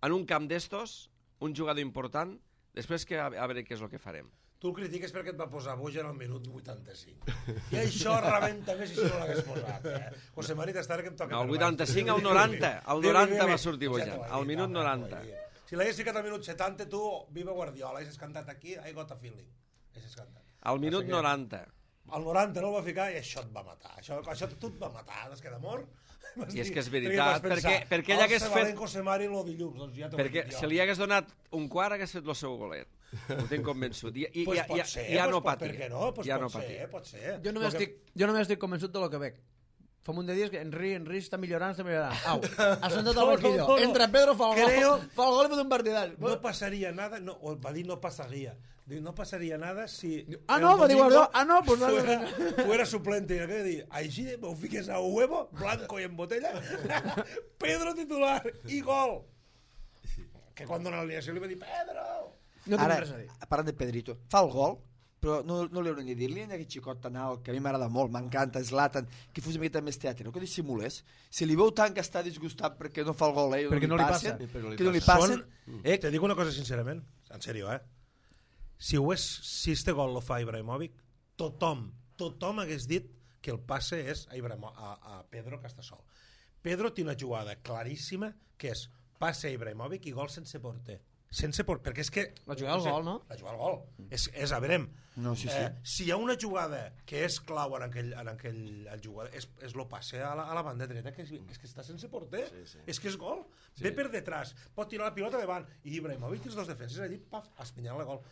en un camp d'estos, un jugador important, després que a, a veure què és el que farem. Tu el critiques perquè et va posar Bojan al minut vuitanta-cinc. I això rebenta més si no l'hagués posat. Eh? José Mari, t'està que em toca... No, el per baix. vuitanta-cinc al noranta, al Dime, noranta dime. va sortir Ja Bojan, t'ho he al dit, minut home, noranta. t'ho he dit. Si l'hagués ficat al minut setanta, tu, viva Guardiola, haguessis cantat aquí, I got a feeling. Haguessis cantat. Al minut Passa que noranta. Al noranta no el va ficar i això et va matar. Això, això tu et va matar, no es queda mort. I és que és veritat, perquè- perquè ell hagués fet- José Mari en el dilluns, doncs ja t'ho he Perquè dit jo. si li hagués donat un quart hagués fet el seu golet. Ho tinc convençut. I, i, Pues ja, pot ja, ser, ja pues no pot- patia. Per què no? Pues ja pot no ser, patia. pot ser. Jo només, Lo que- estic, jo només estic convençut de lo que veig. Fa un munt de dies que Henry, Henry està millorant, està millorant. Au, ha sentat No, al no, banquillo. no, no. Entra Pedro, fa el Creo- gol, fa el gol i pot un partidàs. No passaria nada, no, o va dir no pasaría. Diu, no pasaría nada si... Ah, el no, va dir domingo Guardiola. Ah, no, pues vale. fuera, fuera suplente. I què dir? Així de, ho fiques a huevo, blanco i en botella, Pedro titular i gol. Que quan dona l'alineació li va dir, Pedro! No tinc Ara, res a dir. parlant de Pedrito, fa el gol, però no, no li haurem de dir-li a aquest xicot tan alt, que a mi m'agrada molt, m'encanta, Zlatan, que fos una miqueta més teatre, no que dissimulés. Si li veu tant que està disgustat perquè no fa el gol, eh, Perquè no li passen, passa. Perquè no li que no li passa. passen, eh, Te dic una cosa sincerament, en sèrio, eh? Si, ho és, si este gol lo fa Ibrahimovic, tothom, tothom hagués dit que el passe és a, Ibrahimo, a, a Pedro que està sol. Pedro té una jugada claríssima que és passe a Ibrahimovic i gol sense porter. Sense porter, perquè és que... La jugada al sé, gol, no? La jugada al gol. És, és a veurem. No, sí, sí. Eh, si hi ha una jugada que és clau en aquell, en aquell el jugador, és, és lo passe a la, a la banda dreta, que és, és que està sense porter. Sí, sí. És que és gol. Sí. Ve per detrás, pot tirar la pilota davant, i Ibrahimovic té els dos defenses allí, paf, espinyant la gol.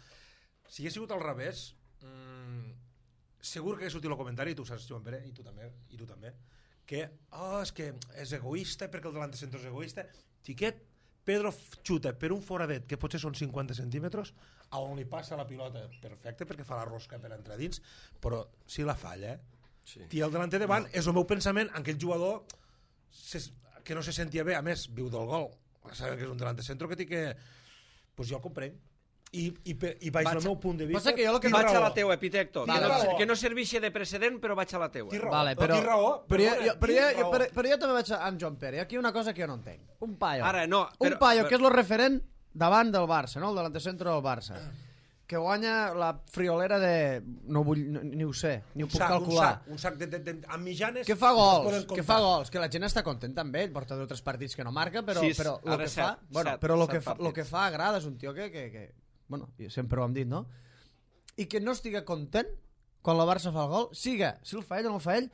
Si hagués sigut al revés, mmm, segur que hagués sortit el comentari, i tu saps, Joan Pere, i tu també, i tu també, que, oh, és que és egoista perquè el delante centro és egoista. Xiquet, Pedro xuta per un foradet que potser són cinquanta centímetres, a on li passa la pilota perfecte perquè fa la rosca per entrar dins, però si la falla, eh? Sí. I el delanter davant, és el meu pensament en aquell jugador ses, que no se sentia bé, a més, viu del gol, saben que és un delanter centro que té que... Pues jo el comprenc. I, i, per, i vaig al meu punt de vista... Passa que jo lo que tinc Vaig a raó. la teua, Epitecto. Tinc Que no, raó. que no serveixi de precedent, però vaig a la teua. Tinc raó. Vale, No, però, tinc raó, però, jo, perdona, jo, però, jo, tinc jo, raó. però, però jo també vaig amb Joan Pere. Hi ha aquí una cosa que jo no entenc. Un paio. Ara, no, però- un paio però- que és el referent davant del Barça, no? El delante centro del Barça. Que guanya la friolera de... No vull, no, ni ho sé, ni ho Un puc sac, un calcular. sac, un sac de, de, de, amb mitjanes... Que fa es gols, poden que comptar. fa gols, que la gent està contenta amb ell, porta dos o tres partits que no marca, però, Sis, però lo ara que set, fa, bueno, set, però lo set que fa, lo partits. que fa agrada, és un tio que, que, que bueno, sempre ho hem dit, no? I que no estiga content quan la Barça fa el gol, siga, si el fa ell o no el fa ell,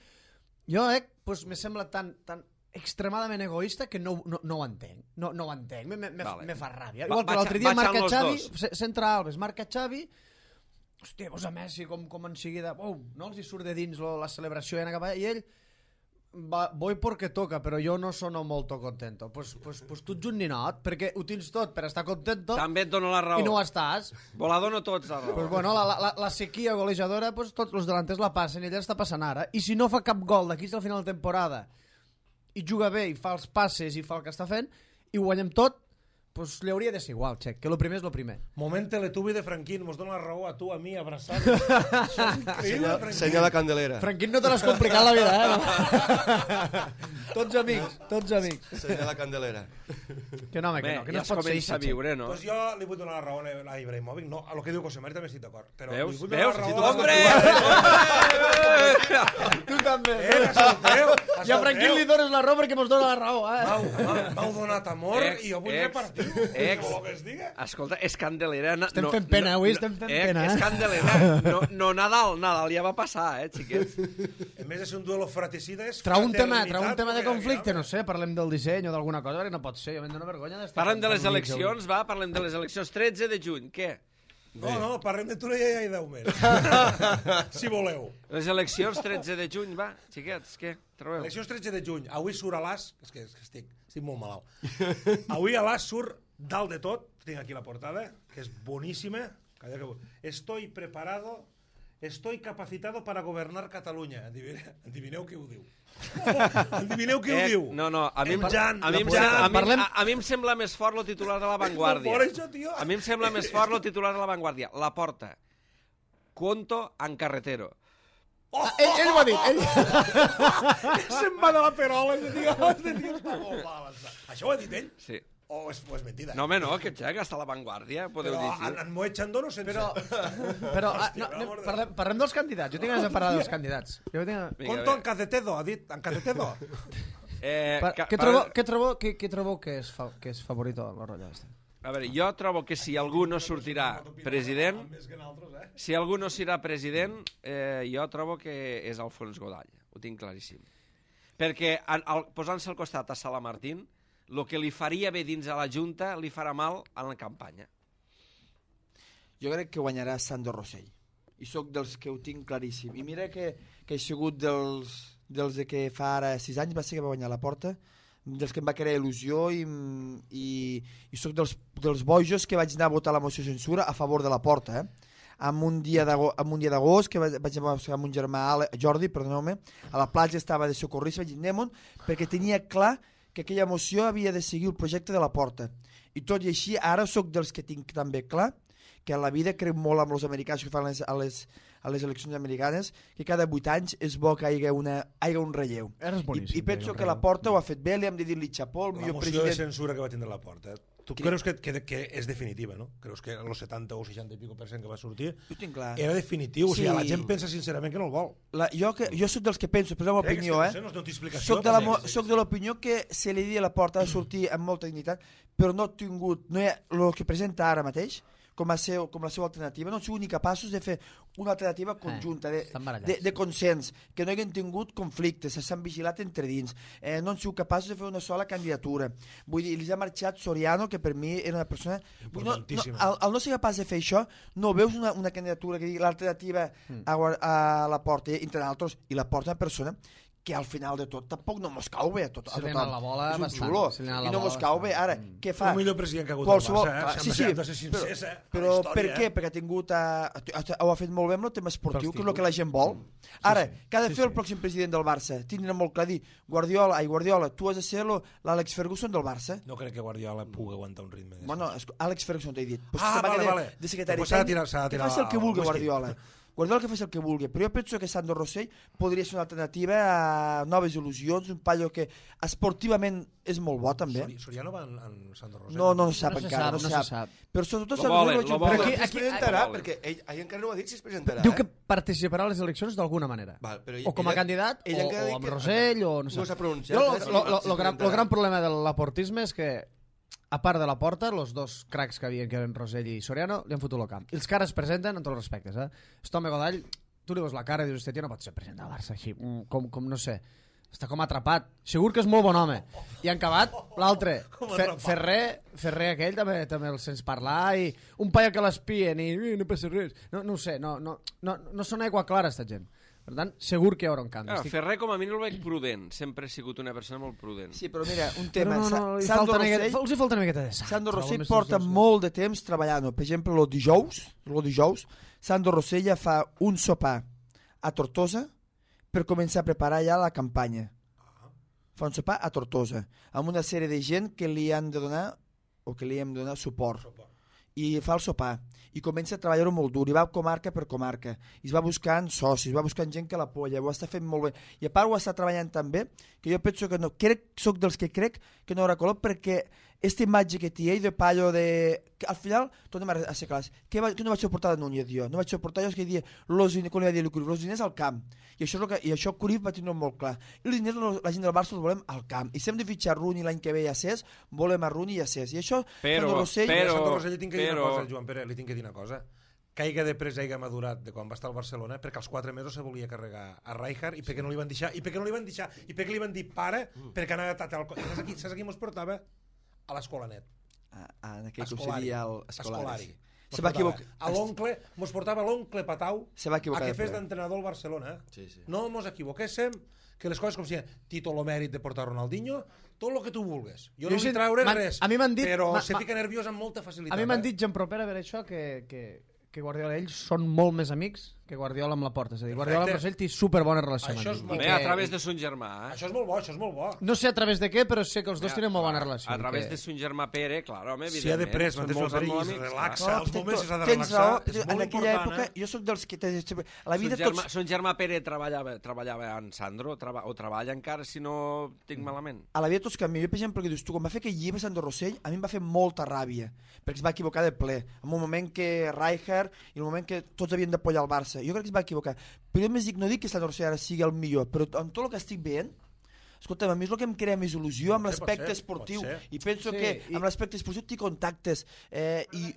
jo, eh, pues, me sembla tan, tan extremadament egoista que no, no, no ho entenc. No, no ho entenc, me, me, me, Vale. me fa ràbia. Va- Igual que vaig a- l'altre dia vaig marca amb los Xavi, dos. se- centra Alves, marca Xavi, hòstia, posa Messi com, com en seguida, oh, no els hi surt de dins lo, la celebració i anar cap allà, i ell, Va, voy porque toca, però jo no sono molto contento. Pues, pues, pues tu ets un ninot, perquè ho tens tot per estar contento També et dono la raó. i no ho estàs. Volador no tots la raó. Pues bueno, la, la, la sequia golejadora, pues tots els delanters la passen i ella està passant ara. I si no fa cap gol d'aquí al final de temporada i juga bé i fa els passes i fa el que està fent i ho guanyem tot, pues li hauria de ser igual, Xec, que lo primer és lo primer. Moment teletubi de Franquín, mos dona la raó a tu, a mi, abraçat. Això és increïble, Senyor, Franquín. senyor de Candelera. Franquín, no te l'has complicat la vida, eh? Tots amics, tots amics. Senyor de Candelera. Que no, home, que Bé, no, que ja no es es pot ser comença a així, Xec. viure, no? Pues jo li vull donar la raó a Ibrahimovic. No, a lo que diu José Mari també estic d'acord. Però Veus? li vull donar Veus? la Si raó tu- a- Hombre! Tu també. Eh, escolteu, I a Franquín li dones la raó perquè mos dona la raó, eh? M'heu m'heu- m'heu donat amor Ex, i jo vull ex, repartir. ex. Vol que es diga? Escolta, és Candelera... No, Estem fent pena, avui estem fent eh, pena, eh? És Candelera. No, no Nadal, Nadal ja va passar, eh, xiquets? En vez de ser un duelo fratricida, és Trau un tema, fraternitat, trau un tema de perquè conflicte, aquí, no sé, parlem del disseny o d'alguna cosa, perquè no pot ser, jo me'n dono vergonya d'estar... Parlem de les parlant eleccions, va? Parlem de les eleccions. tretze de juny, què? No, no, parlem de Torella i deu més. Si voleu. Les eleccions tretze de juny, va, xiquets, què? Trobeu? Eleccions tretze de juny. Avui surt a l'As... És que, és que estic, estic molt malalt. Avui a l'As surt dalt de tot. Tinc aquí la portada, que és boníssima. Calla que... Estoy preparado... Estoy capacitado para governar Catalunya. Adivineu, adivineu qui ho diu. Adivineu qui ho Eh, diu. no, no, a mi, em- En Jan, a, mi em, la sem- a, mi, Parlem- a, a mi em sembla més fort lo titular de La Vanguardia. Fora això, tio. A mi em sembla més fort lo titular de La Vanguardia. La porta. Conto en carretero. Ah, ell, ell ho ha dit, ell... Se'n va de la perola. Este tio, este tio està molt mal. Això ho ha dit ell? Sí. O és, o és mentida? No, home, no, que xec, està a La Vanguardia, podeu Però llegir. en, en Moet Chandon no sense... Però, però ah, no, per anem- amor de parlem, parlem dels candidats. Jo tinc ganes de parlar dels candidats. Jo tinc... Vinga, Conto bé. en Cacetedo, ha dit. En Cacetedo. Eh, Pa, ca- què, pa- trobo, què, trobo, què, què trobo que és, fa, que és favorito la rotlla aquesta? A veure, jo trobo que si algú no sortirà president, Més que nosaltres, eh? si algú no serà president, eh, jo trobo que és Alfons Godall. Ho tinc claríssim. Perquè en, al, posant-se al costat a Sala Martín, el que li faria bé dins a la Junta li farà mal a la campanya. Jo crec que guanyarà Sandro Rossell. I sóc dels que ho tinc claríssim. I mira que, que he sigut dels, dels de que fa ara sis anys va ser que va guanyar la porta, dels que em va crear il·lusió i, i, i sóc dels, dels bojos que vaig anar a votar la moció de censura a favor de la porta, eh? Amb un dia d'agost que vaig, vaig anar amb un germà Ale, Jordi, perdoneu-me, a la platja estava de socorrista, vaig dir anem perquè tenia clar que aquella moció havia de seguir el projecte de la porta. I tot i així, ara sóc dels que tinc també clar que a la vida crec molt amb els americans que fan les, a, les, a les eleccions americanes, que cada vuit anys és bo que hi hagi, una, hi hagi un relleu. Eres I, boníssim. I penso Diego, que la Porta ho ha fet bé, li hem de dir-li xapó, el La millor moció de president... censura que va tindre la porta. Eh? Tu Cri- creus que, que, que és definitiva, no? Creus que el setanta o seixanta i pico per cent que va sortir Ho tinc clar. era definitiu? O sigui, Sí. la gent pensa sincerament que no el vol. La, jo, que, jo sóc dels que penso, però és la meva Crec opinió, que, eh? no sé, no té explicació. Soc de, la, però mo- sí, soc de l'opinió que se li dit a la Porta ha de sortir amb molta dignitat, però no ha tingut, no hi ha, el que presenta ara mateix, com a, seu, com la seva alternativa, no han sigut ni capaços de fer una alternativa conjunta, de, estan barallats. de, de consens, que no hagin tingut conflictes, s'han vigilat entre dins, eh, no han sigut capaços de fer una sola candidatura. Vull dir, els ha marxat Soriano, que per mi era una persona... Vull dir, no, no, Importantíssima. al, al no ser capaç de fer això, no veus una, una candidatura que digui l'alternativa Mm. a, guar- a la Porta, entre altres, i la Porta una persona que al final de tot tampoc no mos cau bé a, tot, a Se li ha tothom. anat la bola és un bastant, xulo, se li ha anat i la no bola mos cau bé. bastant. Ara, Mm. què fa? El millor president que ha hagut Qualsevol, el Barça, eh? clar, Hem sí, de sí, ser- hem de ser sincers, eh? A la però història, per què? eh? Perquè ha tingut, uh, ho ha fet molt bé amb el tema esportiu, Pels que és el que la gent vol. Ara, sí. què ha de Sí, fer sí. el pròxim president del Barça? Tindrà molt clar dir, Guardiola, ai, Guardiola, tu has de ser lo- l'Àlex Ferguson del Barça. No crec que Guardiola pugui aguantar un ritme. Bueno, és- Àlex Ferguson t'he dit. Pues Ah, se va vale, quedar vale. De secretari Pues s'ha de tècnic, tirar- s'ha de que tirar faci el que el vulgui whisky. Guardiola. Guardiola que faci el que vulgui, però jo penso que Sandro Rossell podria ser una alternativa a noves il·lusions, un paio que esportivament és molt bo també. Sori- Soriano va en, en Sandro Rosell? No, no se sap No se encara, sap, no se no se sap. sap. Però sobretot Lo Sandro volen, Rossell lo jo crec volen. que- Aquí, aquí- es presentarà, aquí- perquè ell, ell encara no ho ha dit si es presentarà. Diu eh? que participarà a les eleccions d'alguna manera. Val, però ell- O com a ella- candidat, ell o, encara o diu amb que- Rosell, o no sé. No s'ha pronunciat, Jo, eh, si- lo, lo, si lo, gran, presentarà. lo gran problema de l'aportisme és que, a part de la Porta, los dos cracs que havien, que eren Rosell i Soriano, li han fotut el camp. I els que ara es presenten, en tots els respectes, eh? Este home Godall, tu li veus la cara i dius, hòstia, tio, no pot ser president del Barça així, mm, com, com no sé, està com atrapat. Segur que és molt bon home. I en acabat, l'altre, Fer, Ferrer, Ferrer aquell també també el sents parlar, i un paio que l'espien i "Eh, no passa res. No, no ho sé, no, no, no, no són aigua clara, esta gent. Per tant, segur que hi haurà un canvi. Ah, Estic... Ferrer, com a mínim, el veig prudent. Sempre ha sigut una persona molt prudent. Sí, però mira, un Però tema. no, no, li Sandro falta una miqueta, Rossell, els hi falta una miqueta de sang. Sandro Trobo Rossell més porta dos, molt de temps treballant. Per exemple, el dijous, el dijous, Sandro Rossell ja fa un sopar a Tortosa per començar a preparar ja la campanya. Fa un sopar a Tortosa, amb una sèrie de gent que li han de donar, o que li hem de donar suport. I fa el sopar i comença a treballar-ho molt dur i va comarca per comarca i es va buscant socis, va buscant gent que l'apoya, ho està fent molt bé i a part ho està treballant tan bé que jo penso que no, crec, soc dels que crec que no haurà color perquè aquesta imatge que té ell de pallo de... Que al final, tornem a ser clars, que, va, que no vaig suportar de Núñez jo, no vaig suportar jo és que dia, los, quan li va dir Cruyff, los diners al camp i això, és que, i això Cruyff va tenir molt clar i els diners la gent del Barça els volem al camp i si hem de fitxar Rooney l'any que ve a Cés volem a Rooney i a Cés i això però, Sandro Rossell, però, Sandro Rossell li tinc que dir però... una cosa, Joan Pere, li tinc que dir una cosa. Caiga de presa i haiga madurat de quan va estar al Barcelona perquè als quatre mesos se volia carregar a Rijkaard i perquè no li van deixar i perquè no li van deixar i perquè li van dir pare perquè anava a al... Saps aquí, saps aquí mos portava? A l'Escolanet. Ah, ah, en aquell Escolari. que el Escolari. Mos Se va portava equivocar. a l'oncle, mos portava l'oncle Patau Se va equivocar a que de fes ple. d'entrenador al Barcelona. Sí, sí. No mos equivoquéssim, que les coses com si Tito lo mèrit de portar Ronaldinho, tot el que tu vulgues. Jo, Jo no he vull sentit- treure m'han- res, a mi m'han dit- però m'ha- se m'ha- fica nerviós amb molta facilitat. A mi m'han eh? dit, Jean Propera, per això, que, que, que Guardiola i ells són molt més amics que Guardiola amb la Porta. És a dir, Guardiola amb Rossell té superbona relació Això és amb molt ell. Bé, I a que- través de son germà, eh? Això és molt bo, això és molt bo. No sé a través de què, però sé que els dos Ja, tenen molt bona clar, relació. A través que... de son germà Pere, clar, home, Si ha de evidentment. pres, són mantens molts el perill, amics, relaxa, clar. als moments s'ha de tens relaxar, raó, és en molt aquella important, època eh? jo sóc dels que te, a la vida Son germà, tots son germà Pere treballava, treballava en Sandro traba, o treballa encara, si no tinc malament. a la vida tots canvien. Jo, per exemple, que dius tu, quan va fer aquell llibre Sandro Rossell, a mi em va fer molta ràbia, perquè es va equivocar de ple, en un moment que Rijkaard i en un moment que tots havien d'apoyar el Barça. Jo crec que es va equivocar. Però jo més dic, no dic que Sandro Rossell ara sigui el millor, però amb tot el que estic veient, escolta, a mi és el que em crea més il·lusió amb Pot ser, pot l'aspecte ser, esportiu pot ser. i penso Sí, que i- amb l'aspecte esportiu té contactes eh, i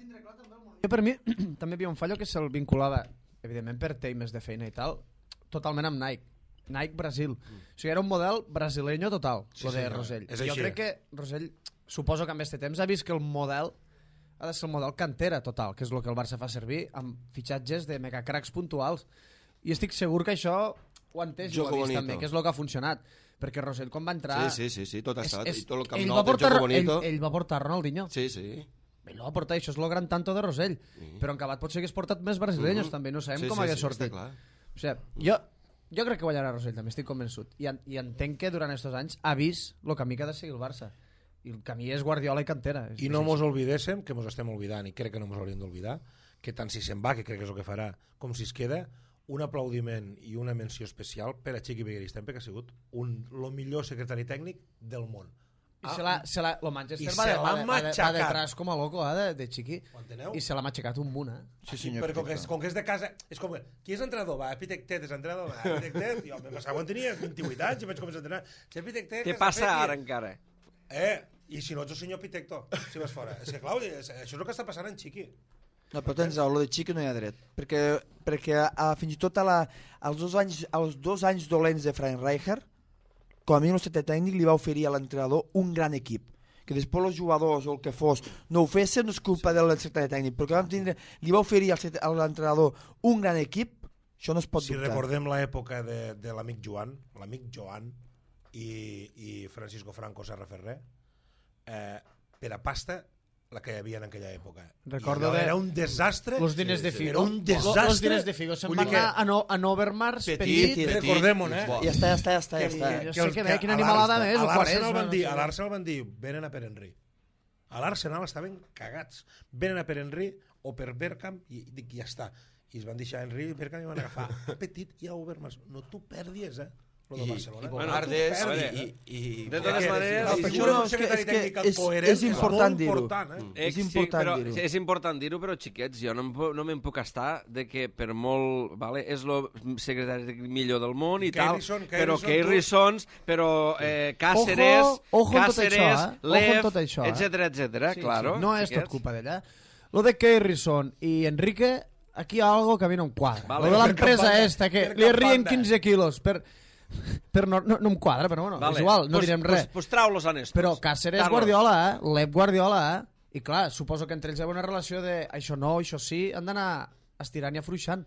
Jo, per mi, també hi havia un fallo que se'l vinculava, evidentment per temes de feina i tal, totalment amb Nike. Nike Brasil. Mm. O sigui, era un model brasileño total, Sí, lo de sí, no, Rosell. és Jo així. crec que Rosell, suposo que amb aquest temps ha vist que el model ha de ser el model cantera total, que és el que el Barça fa servir amb fitxatges de megacracs puntuals. I estic segur que això ho ha entès i ho Jogo ha vist bonito. també, que és el que ha funcionat. Perquè Rosell, quan va entrar... Sí, sí, sí, sí, tot ha estat. I tot el camp ell, nou va del portar, Jogo Bonito. ell, ell va portar Ronaldinho. Sí, sí. Ell ho va portar, això és el gran tanto de Rosell. Però en acabat potser hagués portat més brasileños, Mhm. també, no sabem Sí, com sí, hagués sí, sortit. està clar. O sigui, jo, jo crec que guanyarà Rosell, també estic convençut. I, en, I entenc que durant aquests anys ha vist el camí que ha de seguir el Barça. I el camí és Guardiola i cantera. És, I no és mos així. oblidéssim, que mos estem oblidant, i crec que no mos hauríem d'oblidar, que tant si se'n va, que crec que és el que farà, com si es queda, un aplaudiment i una menció especial per a Chiqui Begueristempe, que ha sigut un, lo millor secretari tècnic del món. I se l'ha, se l'ha, lo Manchester I va, se de, l'ha va, de, va, de, va matxacat. detrás com a loco, eh, de, de Chiqui. Ho enteneu? I se l'ha matxacat un munt, eh? sí, senyor, Però com que, és, perfecte. com que és de casa, és com que, qui és entrenador? Va, Epitectet és entrenador, va, Epitectet, jo m'he passat quan tenia vint-i-vuit anys i vaig començar a entrenar. Si Epitectet... Què passa ara encara? Eh, i si no ets el senyor Pitecto, si vas fora. És que, clar, és, això és el que està passant en Chiqui. No, però tens raó, lo de Chiqui no hi ha dret. Perquè, perquè a, fins i tot a la, als, dos anys, als dos anys dolents de Frank Rijkaard, com a mínim el secretari tècnic li va oferir a l'entrenador un gran equip. Que després els jugadors o el que fos no ho fessin, no és culpa del secretari tècnic, però que vam tindre, li va oferir al secretari- a l'entrenador un gran equip, això no es pot Si dubtar. recordem l'època de, de l'amic Joan, l'amic Joan i, i Francisco Franco Serra Ferrer, eh, per a pasta, la que hi havia en aquella època. Recordo I allò de- era un desastre. Los diners de Figo. Era un desastre. Los diners de Figo. Se'n Vull van dir que- anar a, no, a Novermars, Petit, petit, petit. Recordem-ho, eh? Ja està, ja està, ja està. Ja Que- està. jo que sé els- que que bé, quina a animalada l'Arsenal- més, a o l'Arsenal Quaresma, van no dir, sé. a l'Arsenal van dir, venen a Per Henry. A l'Arsenal estaven cagats. Venen a Per Henry o per Bergkamp i dic, ja està. I es van deixar Henry i Bergkamp i van agafar a Petit i a Overmars. No t'ho perdis, eh? Lo de I, Barcelona. i Bogardes a i, veure, i, i, de totes i- maneres- La Sí, figura això no, d'un és que- secretari és que tècnic és- coherent és important molt dir-ho. important, eh? Eh, És important sí, però, dir-ho. és important dir-ho, però xiquets, jo no, em pu- no me'n puc estar de que per molt... Vale, és el secretari tècnic millor del món i tal, Keirson, però Keirson, Keir Sons, però eh, Càceres, Ojo, ojo amb tot Càceres, això, eh? Ojo Lev, amb tot això, eh? etcètera, etcètera, Sí, claro. sí. No és tot xiquets. culpa d'ella. Lo de Keirson i Enrique, aquí hi ha algo que a mi no em quadra. Vale, Lo de per l'empresa cap banda, esta, que per li cap rien banda. quinze quilos per... per no, no, no em quadra, però bueno, Vale. és igual, no pues, direm pues, res. Pues trau-los a Néstor. Però Cáceres Guardiola, eh? L'Ep Guardiola, eh? I clar, suposo que entre ells hi ha una relació de això no, això sí, han d'anar estirant i afluixant.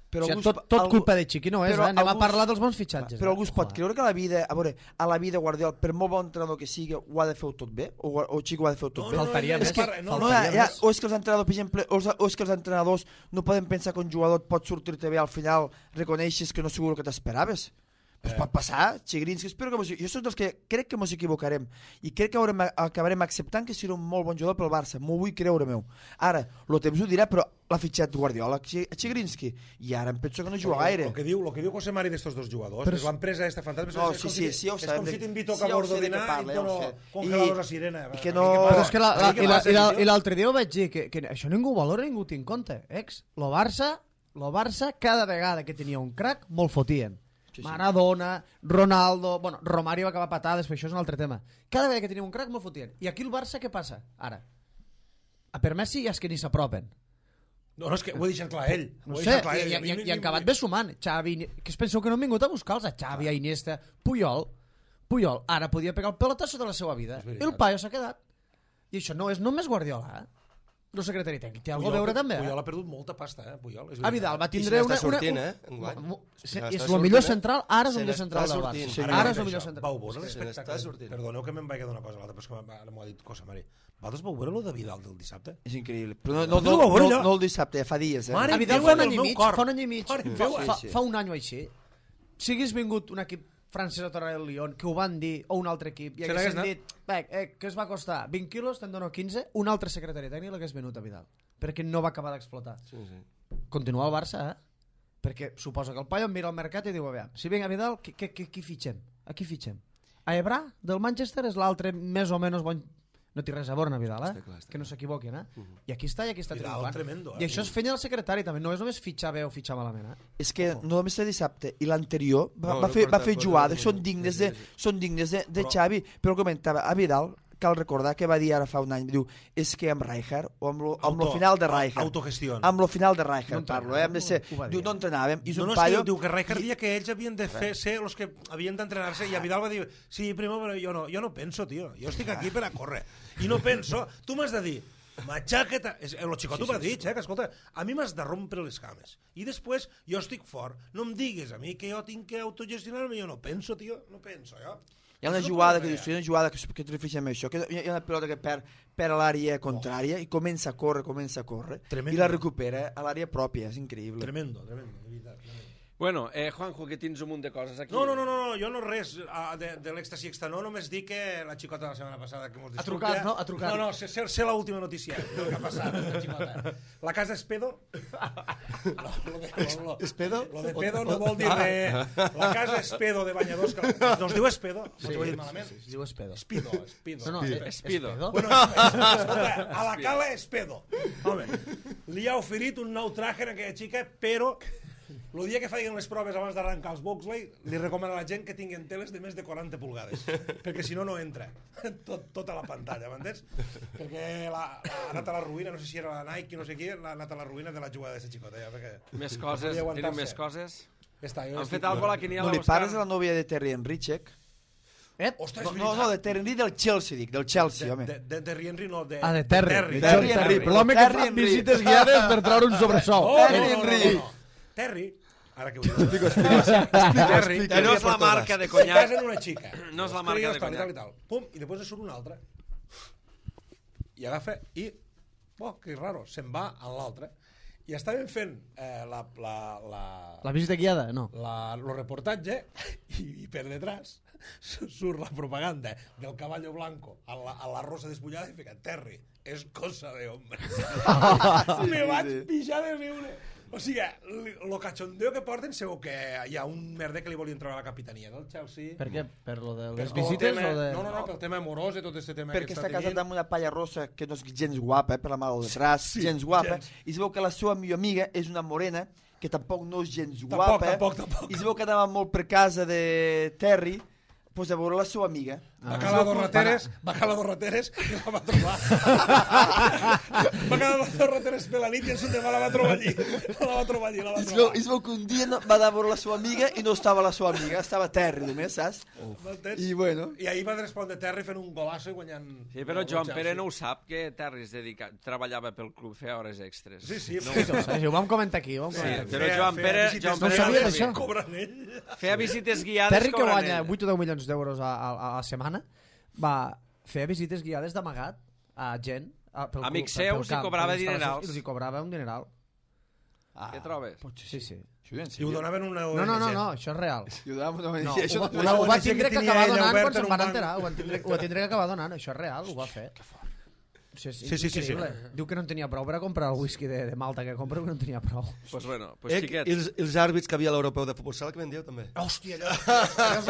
Però o sigui, algú es tot, po- tot algú- culpa de Chiqui no és, però eh? Anem a algú- parlar dels bons fitxatges. Però eh? algú es pot Ojo, eh? creure que a la vida, a veure, a la vida Guardiola, per molt bon entrenador que sigui, ho ha de fer tot bé? O, o Chiqui ho ha de fer tot bé? Faltaria és més. que- No, no, no, ja, faltaria ja, més. o és que els entrenadors, per exemple, o, és- o és que els entrenadors no poden pensar que un jugador et pot sortir-te bé al final reconeixes que no és segur el que t'esperaves. Pues Eh. pot passar, Xigrinski, espero que mos... jo soc dels que crec que ens equivocarem i crec que haurem, acabarem acceptant que serà un molt bon jugador pel Barça, m'ho vull creure meu. Ara, el temps ho dirà, però l'ha fitxat Guardiola, Xigrinski, i ara em penso que no juga gaire. El que diu, lo que diu José Mari d'estos dos jugadors, Però és l'empresa esta fantàstica. No, és sí, com sí, si- sí, ja ho És sabem com de- si t'invito sí, a ja ho bordo sé de dinar què parla, i ja ho dono sé. congeladors I- a Sirena. i que Va, no- què passa? Però és que la, la, Què i, la, passa, i, la, tio? i l'altre dia ho vaig dir, que, que això ningú ho valora, ningú ho té en compte. Ex, lo Barça, lo Barça, cada vegada que tenia un crack, molt fotien. Sí, sí. Maradona, Ronaldo... Bueno, Romario va acabar patades, però això és un altre tema. Cada vegada que tenia un crack, molt fotien. I aquí el Barça, què passa? Ara, a per Messi ja és que ni s'apropen. No, no, és que ho he deixat clar ell. No Ho he sé, deixat clar i, ell. i, A mi- i, mi- i han acabat bé sumant. Xavi, que es penseu que no han vingut a buscar-los, a Xavi, a Iniesta, Puyol. Puyol ara podia pegar el pelotasso de la seva vida. És veritat. El paio s'ha quedat. I això no és només Guardiola, eh? El secretari tècnic té alguna a veure també, Puyol eh? ha perdut molta pasta, eh, Puyol. És A Vidal va I se tindre una... n'està una, sortint, una, eh, enguany. Mo- Se se- n'està és el sortint, millor eh? central, ara és Se el millor n'està central del sortint. Barça. Ara Ara ja és el això. millor central. Vau veure Se l'espectacle. n'està sortint. Perdoneu que me'n vaig d'una cosa a l'altra, però és que m'ha- ara m'ho ha dit cosa, Mari. Vosaltres vau veure lo de Vidal del dissabte? És increïble. Però no, no, Vosaltres no, ho vau veure no, allò? no el dissabte, fa dies, eh? Mare A Vidal Déu fa un del any i meu mig, cor. fa un any i mig, Mare fa, meva. fa, Sí, sí. fa un any o així. Si hagués vingut un equip francès a tornar del Lyon, que ho van dir, o un altre equip, i Se n'hagués haguessin dit, "Bec, eh, que es va costar vint quilos, te'n dono quinze, un altre secretari tècnic l'hagués venut a Vidal, perquè no va acabar d'explotar. Sí, sí. Continua el Barça, eh? Perquè suposa que el paio mira al mercat i diu, a veure, si vinc a Vidal, qui, qui, qui, qui fitxem? A qui fitxem? A Ebra, del Manchester, és l'altre més o menys bon... No té res a veure, Vidal, eh? Està clar, està que no s'equivoquin, eh? I aquí està, i aquí està Vidal, triomfant. tremendo, eh? I això és feina del secretari, també. No és només fitxar bé o fitxar malament, eh? És que no només el dissabte i l'anterior va, No, va, no fer, va porta- fer porta jugades, molt. són dignes Sí, de, sí, sí. són dignes de, de Però- Xavi, però comentava a Vidal, cal recordar que va dir ara fa un any, diu, és que amb Rijkaard, o amb lo, amb lo Auto- final de Rijkaard, autogestió. amb lo final de No Rijkaard entrenàvem, parlo, eh? Hem de ser, ho va dir. diu, no entrenàvem, i és No, un no, és que paio... diu, diu que Rijkaard dia que ells havien de fer, ser els que havien d'entrenar-se i a Vidal va dir, sí, primer, però jo no, jo no penso, tio, jo estic aquí per a córrer i no penso, tu m'has de dir matxaqueta, és, el xicot ho va dir, eh, que escolta, a mi m'has de rompre les cames i després jo estic fort, no em digues a mi que jo tinc que autogestionar-me, jo no penso, tio, no penso, jo. Hi ha una No jugada pot que ser. dius, hi ha una jugada que, que et refereixes amb això, que hi ha una pilota que perd, perd a l'àrea contrària i comença a córrer, comença a córrer, Tremendo. i la recupera a l'àrea pròpia, és increïble. Tremendo, tremendo, de veritat, tremendo. Bueno, eh, Juanjo, que tens un munt de coses aquí. No, no, no, no, no, jo no res ah, de, de l'èxtasi extra, no, només dic que la xicota de la setmana passada que mos Ha trucat, no? Ha trucat. No, no, sé, sé, sé l'última notícia del que ha passat, la xicota. La casa Espedo... No, lo de, lo, lo, Espedo? Lo de pedo no vol dir res. La casa Espedo de Banyadors, que no es diu Espedo? Sí, ho he dit malament? Es diu Espedo. Espido, Espido. No, no, eh, Espido. Espedo. Bueno, escolta, a la cala Espedo. Home, li ha oferit un nou traje a aquella xica, però el dia que facin les proves abans d'arrencar els Boxley, li recomana a la gent que tinguin teles de més de quaranta pulgades, perquè si no, no entra Tot, tota la pantalla, m'entens? Perquè la, la, ha anat a la ruïna, no sé si era la Nike, no sé qui, ha anat a la ruïna de la jugada d'aquesta xicota, ja, perquè... Més coses, Podia aguantar-se. tenim més coses. Ja està, jo Han estic- fet alguna cosa a la quiniela, No li Òscar? pares a la nòvia de Terry Henrychek? Eh? Ostres, No, és no, veritat. no, de Terry Henry del Chelsea, dic, del Chelsea, de, home. de, de, de Henry, no, de... Ah, de Terry. Terry, De Terry Terry. Henry. L'home que Terry fa Henry. visites guiades per treure un sobresou. Oh, Terry no, no, no, Henry. no, no. Terry, ara que ho dic. Explico, explico. Terry, Que no és la marca de se conyac. casa en una xica. No és la Escriu marca de tal, i tal, conyac. i tal. Pum, i després surt una altra. I agafa i... Oh, que raro, se'n va a l'altra. I estaven fent eh, la, la, la, La visita guiada? No. la, lo reportatge i, i per detrás surt la propaganda del caballo blanco a la, a la rosa despullada i fica Terry, és cosa de hombre. Me vaig pixar de riure. O sigui, lo cachondeo que porten segur que hi ha un merder que li volien treure a la capitania del Chelsea. Per què? Per lo de Per les tot el visites tema, o de... No, no, no, pel tema amorós i tot aquest tema Perquè que està està casat tenint. amb una palla rossa que no és gens guapa, eh, per la mà del detrás, Sí, gens guapa, gens. i es veu que la seva millor amiga és una morena que tampoc no és gens Tampoc, guapa, tampoc, tampoc. i es veu que anava molt per casa de Terry, pues a veure la seva amiga. Va calar dos rateres, va calar dos rateres i la va trobar. Va calar dos rateres per la nit i en Sundema la va trobar allí. La va trobar allí, la va Es veu, trobar. es veu que un dia no, va anar a veure la seva amiga i no estava la seva amiga, estava a terra només, saps? M'entens? I bueno... I ahir va respondre Terry fent un golasso i guanyant... Sí, però Joan Pere no ho sap, que Terri es dedica... treballava pel club, feia hores extres. Sí, sí. No, sí, sí, ho vam comentar aquí. Ho vam Sí, comentar aquí. però Joan Pere... Joan No Pere sabia no d'això. Cobren ell. Feia visites guiades Terry, que cobrant guanya ell. vuit o deu milions d'euros a, a, a la setmana, va fer visites guiades d'amagat a gent. A, pel Amics club, pel seus i camp, cobrava per les instal·lacions, dinerals. I els hi cobrava un dineral. Ah, Què trobes? Sí, sí. I ho donaven una O N G. No, no, no, no, això és real. I ho dàvem una No, O N G. Això ho, no- ho, ho, O N G va que tindre que tenia acabar ella donant obert quan en se'n un van banc. enterar. Ho va tindre, ho va tindre que acabar donant, això és real, ho va fer. Això és Sí, sí, sí, sí. increïble. Diu que no en tenia prou per a comprar el whisky de, de Malta que compra, que no en tenia prou. Pues bueno, pues Eh, I xiquets. els, els àrbits que havia a l'europeu de futbol sala que vendíeu també. Hòstia, allò.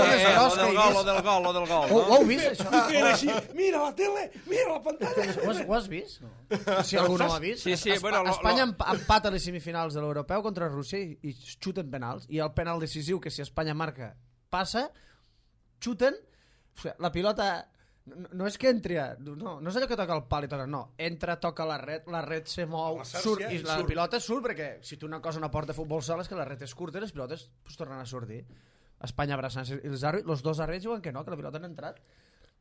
Eh, lo del gol, lo del gol, lo del gol, Ho, ho no? heu vist, això? I feien així, mira la tele, mira la pantalla. Ho has, ho has vist? No. Si algú no ho ha vist. Sí, sí, Espa- bueno, lo- Espanya lo- empa- empata a les semifinals de l'Europeu contra Rússia i, i xuten penals. I el penal decisiu, que si Espanya marca, passa, xuten, o sigui, la pilota... No, no és que entri, a- no, no és allò que toca el pal i toca, no. Entra, toca la red, la red se mou, La xarxa surt, i i la surt. pilota surt, perquè si tu una cosa no porta futbol sala és que la red és curta i les pilotes pues, tornen a sortir. Espanya abraçant-se, i els, àrbits, els dos àrbits diuen que no, que la pilota no ha entrat.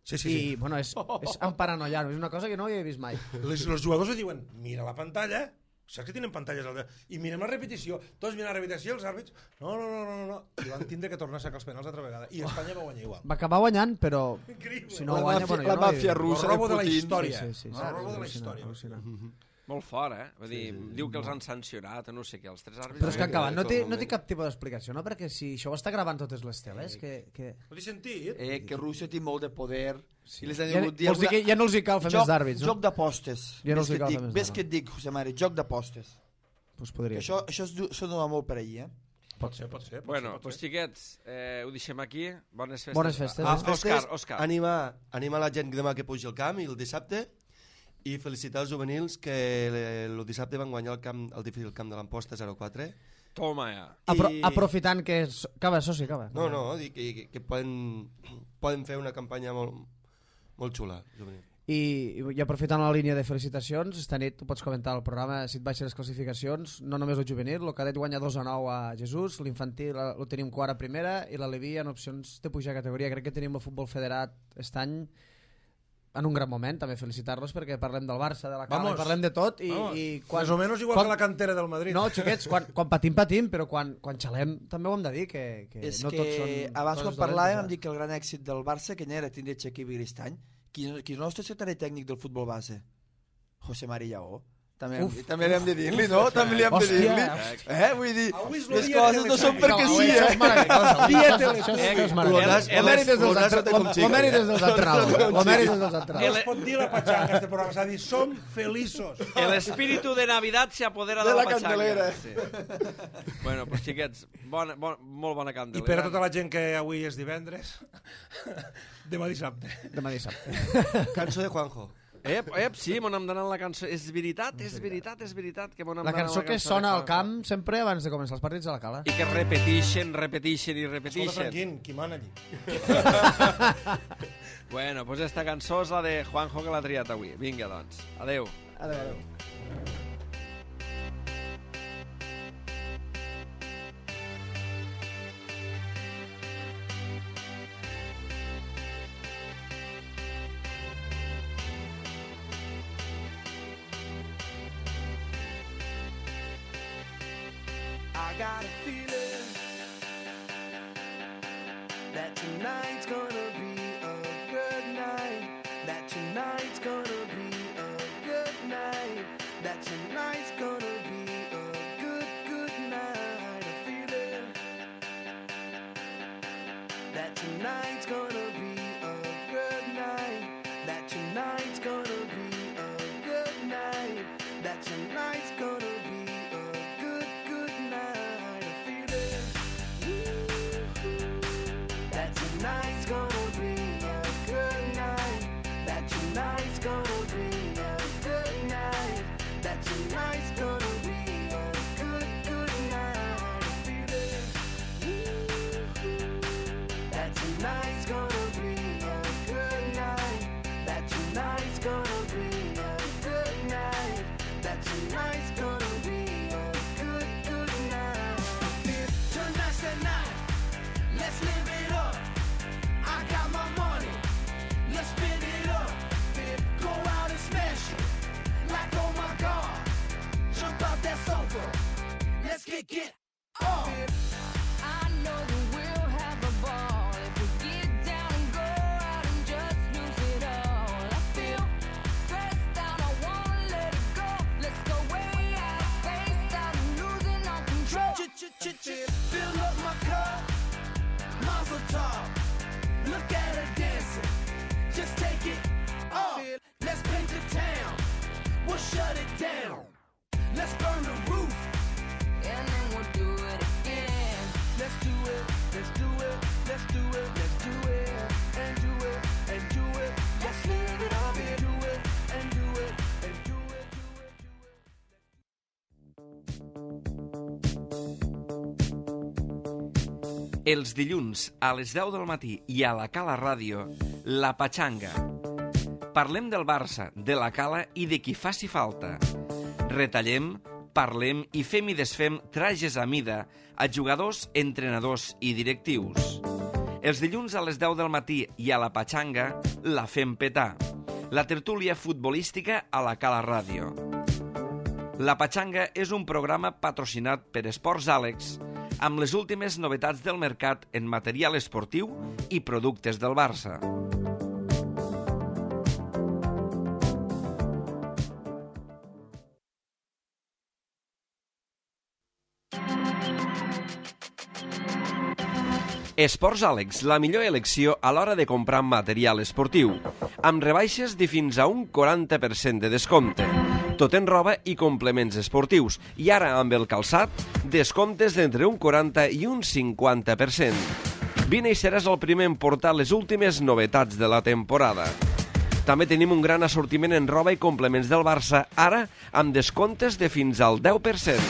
Sí, sí, I, sí. bueno, és, és emparanoiar-ho, és una cosa que no havia vist mai. Els, els jugadors li diuen, mira la pantalla, saps que tenen pantalles al de... I mirem la repetició, tots miren la repetició i els àrbits, no, no, no, no, no, no. I van tindre que tornar a sacar els penals altra vegada. I Espanya va guanyar igual. Va acabar guanyant, però Increïble. si no La guanya, màfia- bueno, jo la no ho havia màfia vist. russa El robo de de la Putin. història. Sí, sí, sí, El sí, robo de la al·lucinant, història. al·lucinant. Molt fort, eh? Vull dir, diu que els han sancionat, no sé què, els tres àrbits... Però és que Sí, encara no té, tot el no té moment. cap tipus d'explicació, no? Perquè si això ho està gravant totes les teles, que... que... No t'he sentit? Eh, que Rússia té molt de poder. Sí. I les han Ja, hagut dir vols dir que ja no els hi cal fer joc, més d'àrbits, no? Joc d'apostes. Ja no Ves els hi que et cal dic, fer més ves que et d'àrbits. dic, José Mari, joc d'apostes. Pues podria Això, això es du- sona molt per allí, eh? Pot ser, pot ser. Pot Bueno, ser, pot pues ser. xiquets, eh, ho deixem aquí. Bones festes. Bones festes. Ah, Les festes, Òscar, Òscar. Animar, animar la gent demà que pugi al camp i el dissabte i felicitar els juvenils que le- el dissabte van guanyar el, camp, el difícil camp de l'Amposta zero quatre. Toma ja. Apro I- aprofitant que... És... Acaba, soci, acaba. No, no, dic que, que, que poden, poden fer una campanya molt, molt xula. Juvenil. I, i aprofitant la línia de felicitacions, esta nit tu pots comentar el programa si et baixen les classificacions, no només el juvenil, el cadet guanya dos a nou a Jesús, l'infantil el tenim quart a primera i l'Aleví en opcions de pujar a categoria. Crec que tenim el futbol federat aquest any en un gran moment, també felicitar-los perquè parlem del Barça, de la Cala, Vamos. i parlem de tot i, Vamos. i quan, Més o menys igual quan- que la cantera del Madrid. no, xiquets, quan, quan patim, patim, però quan, quan xalem també ho hem de dir, que, que És no que tots són abans quan coses parlàvem dolentes, em dic que el gran èxit del Barça que n'era tindre Xaquí Viristany, qui, qui és el nostre secretari tècnic del futbol base? José Mari Lleó. També, Uf. també li hem de dir-li, no? També li hem de Hòstia. dir-li. Eh? Vull dir, Avui és el les dia coses que no són l'examen. perquè No, sí, això és eh? meravellós. Dia Això Telepúblic. és- això és meravellós. L'Onàs- El mèrit és dels l'Onàs entre- no té com xica, el mèrit eh? és dels entrenadors. El mèrit és dels No entrenadors. es pot dir la patxanga, este programa. S'ha dit, som feliços. El espíritu de Navidad se apodera de, De la pachanga. candelera. Sí. Bueno, pues xiquets, bona, bona, molt bona I candelera. per a tota la gent que avui és divendres, demà dissabte. Demà dissabte. Cançó de Juanjo. Ep, ep, sí, m'on hem d'anar la cançó. És veritat, és veritat, és veritat que m'on hem La d'anar cançó que de sona al Juanjo. camp sempre abans de començar els partits de la Cala. I que repetixen, repetixen i Escolta, repetixen. Franquín, qui mana allí? Bueno, pues esta cançó és la de Juanjo que l'ha triat avui. Vinga, doncs. Adeu. Adéu, adéu. I got a feeling that tonight's gonna be a good night. That tonight's gonna be a good night. That tonight's gonna be a good, good night. A feeling that tonight's gonna be a good night. That tonight's gonna be a good night. That tonight's gonna be a good, good night. A feeling that tonight's gonna down. Let's burn the roof. And then we'll do it again. Let's do it, let's do it, let's do it, let's do it, and do it, and do it. Let's live it up and do it, and do it, and do it, do it, do it. Els dilluns a les deu del matí i a la Cala Ràdio, La Patxanga. Parlem del Barça, de la Cala i de qui faci falta. Retallem, parlem i fem i desfem trajes a mida a jugadors, entrenadors i directius. Els dilluns a les deu del matí i a La Patxanga la fem petar. La tertúlia futbolística a la Cala Ràdio. La Patxanga és un programa patrocinat per Esports Àlex, amb les últimes novetats del mercat en material esportiu i productes del Barça. Esports Àlex, la millor elecció a l'hora de comprar material esportiu, amb rebaixes de fins a un quaranta per cent de descompte. Tot en roba i complements esportius, i ara amb el calçat, descomptes d'entre un quaranta i un cinquanta per cent. Vine i seràs el primer en portar les últimes novetats de la temporada. També tenim un gran assortiment en roba i complements del Barça, ara amb descomptes de fins al deu per cent.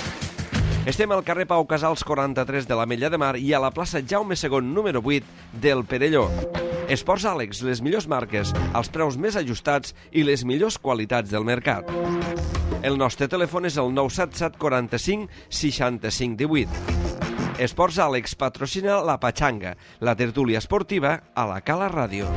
Estem al carrer Pau Casals quaranta-tres de l'Ametlla de Mar i a la plaça Jaume segon número vuit del Perelló. Esports Àlex, les millors marques, els preus més ajustats i les millors qualitats del mercat. El nostre telèfon és el nou set set quaranta-cinc seixanta-cinc divuit. Esports Àlex patrocina La Patxanga, la tertúlia esportiva a la Cala Ràdio.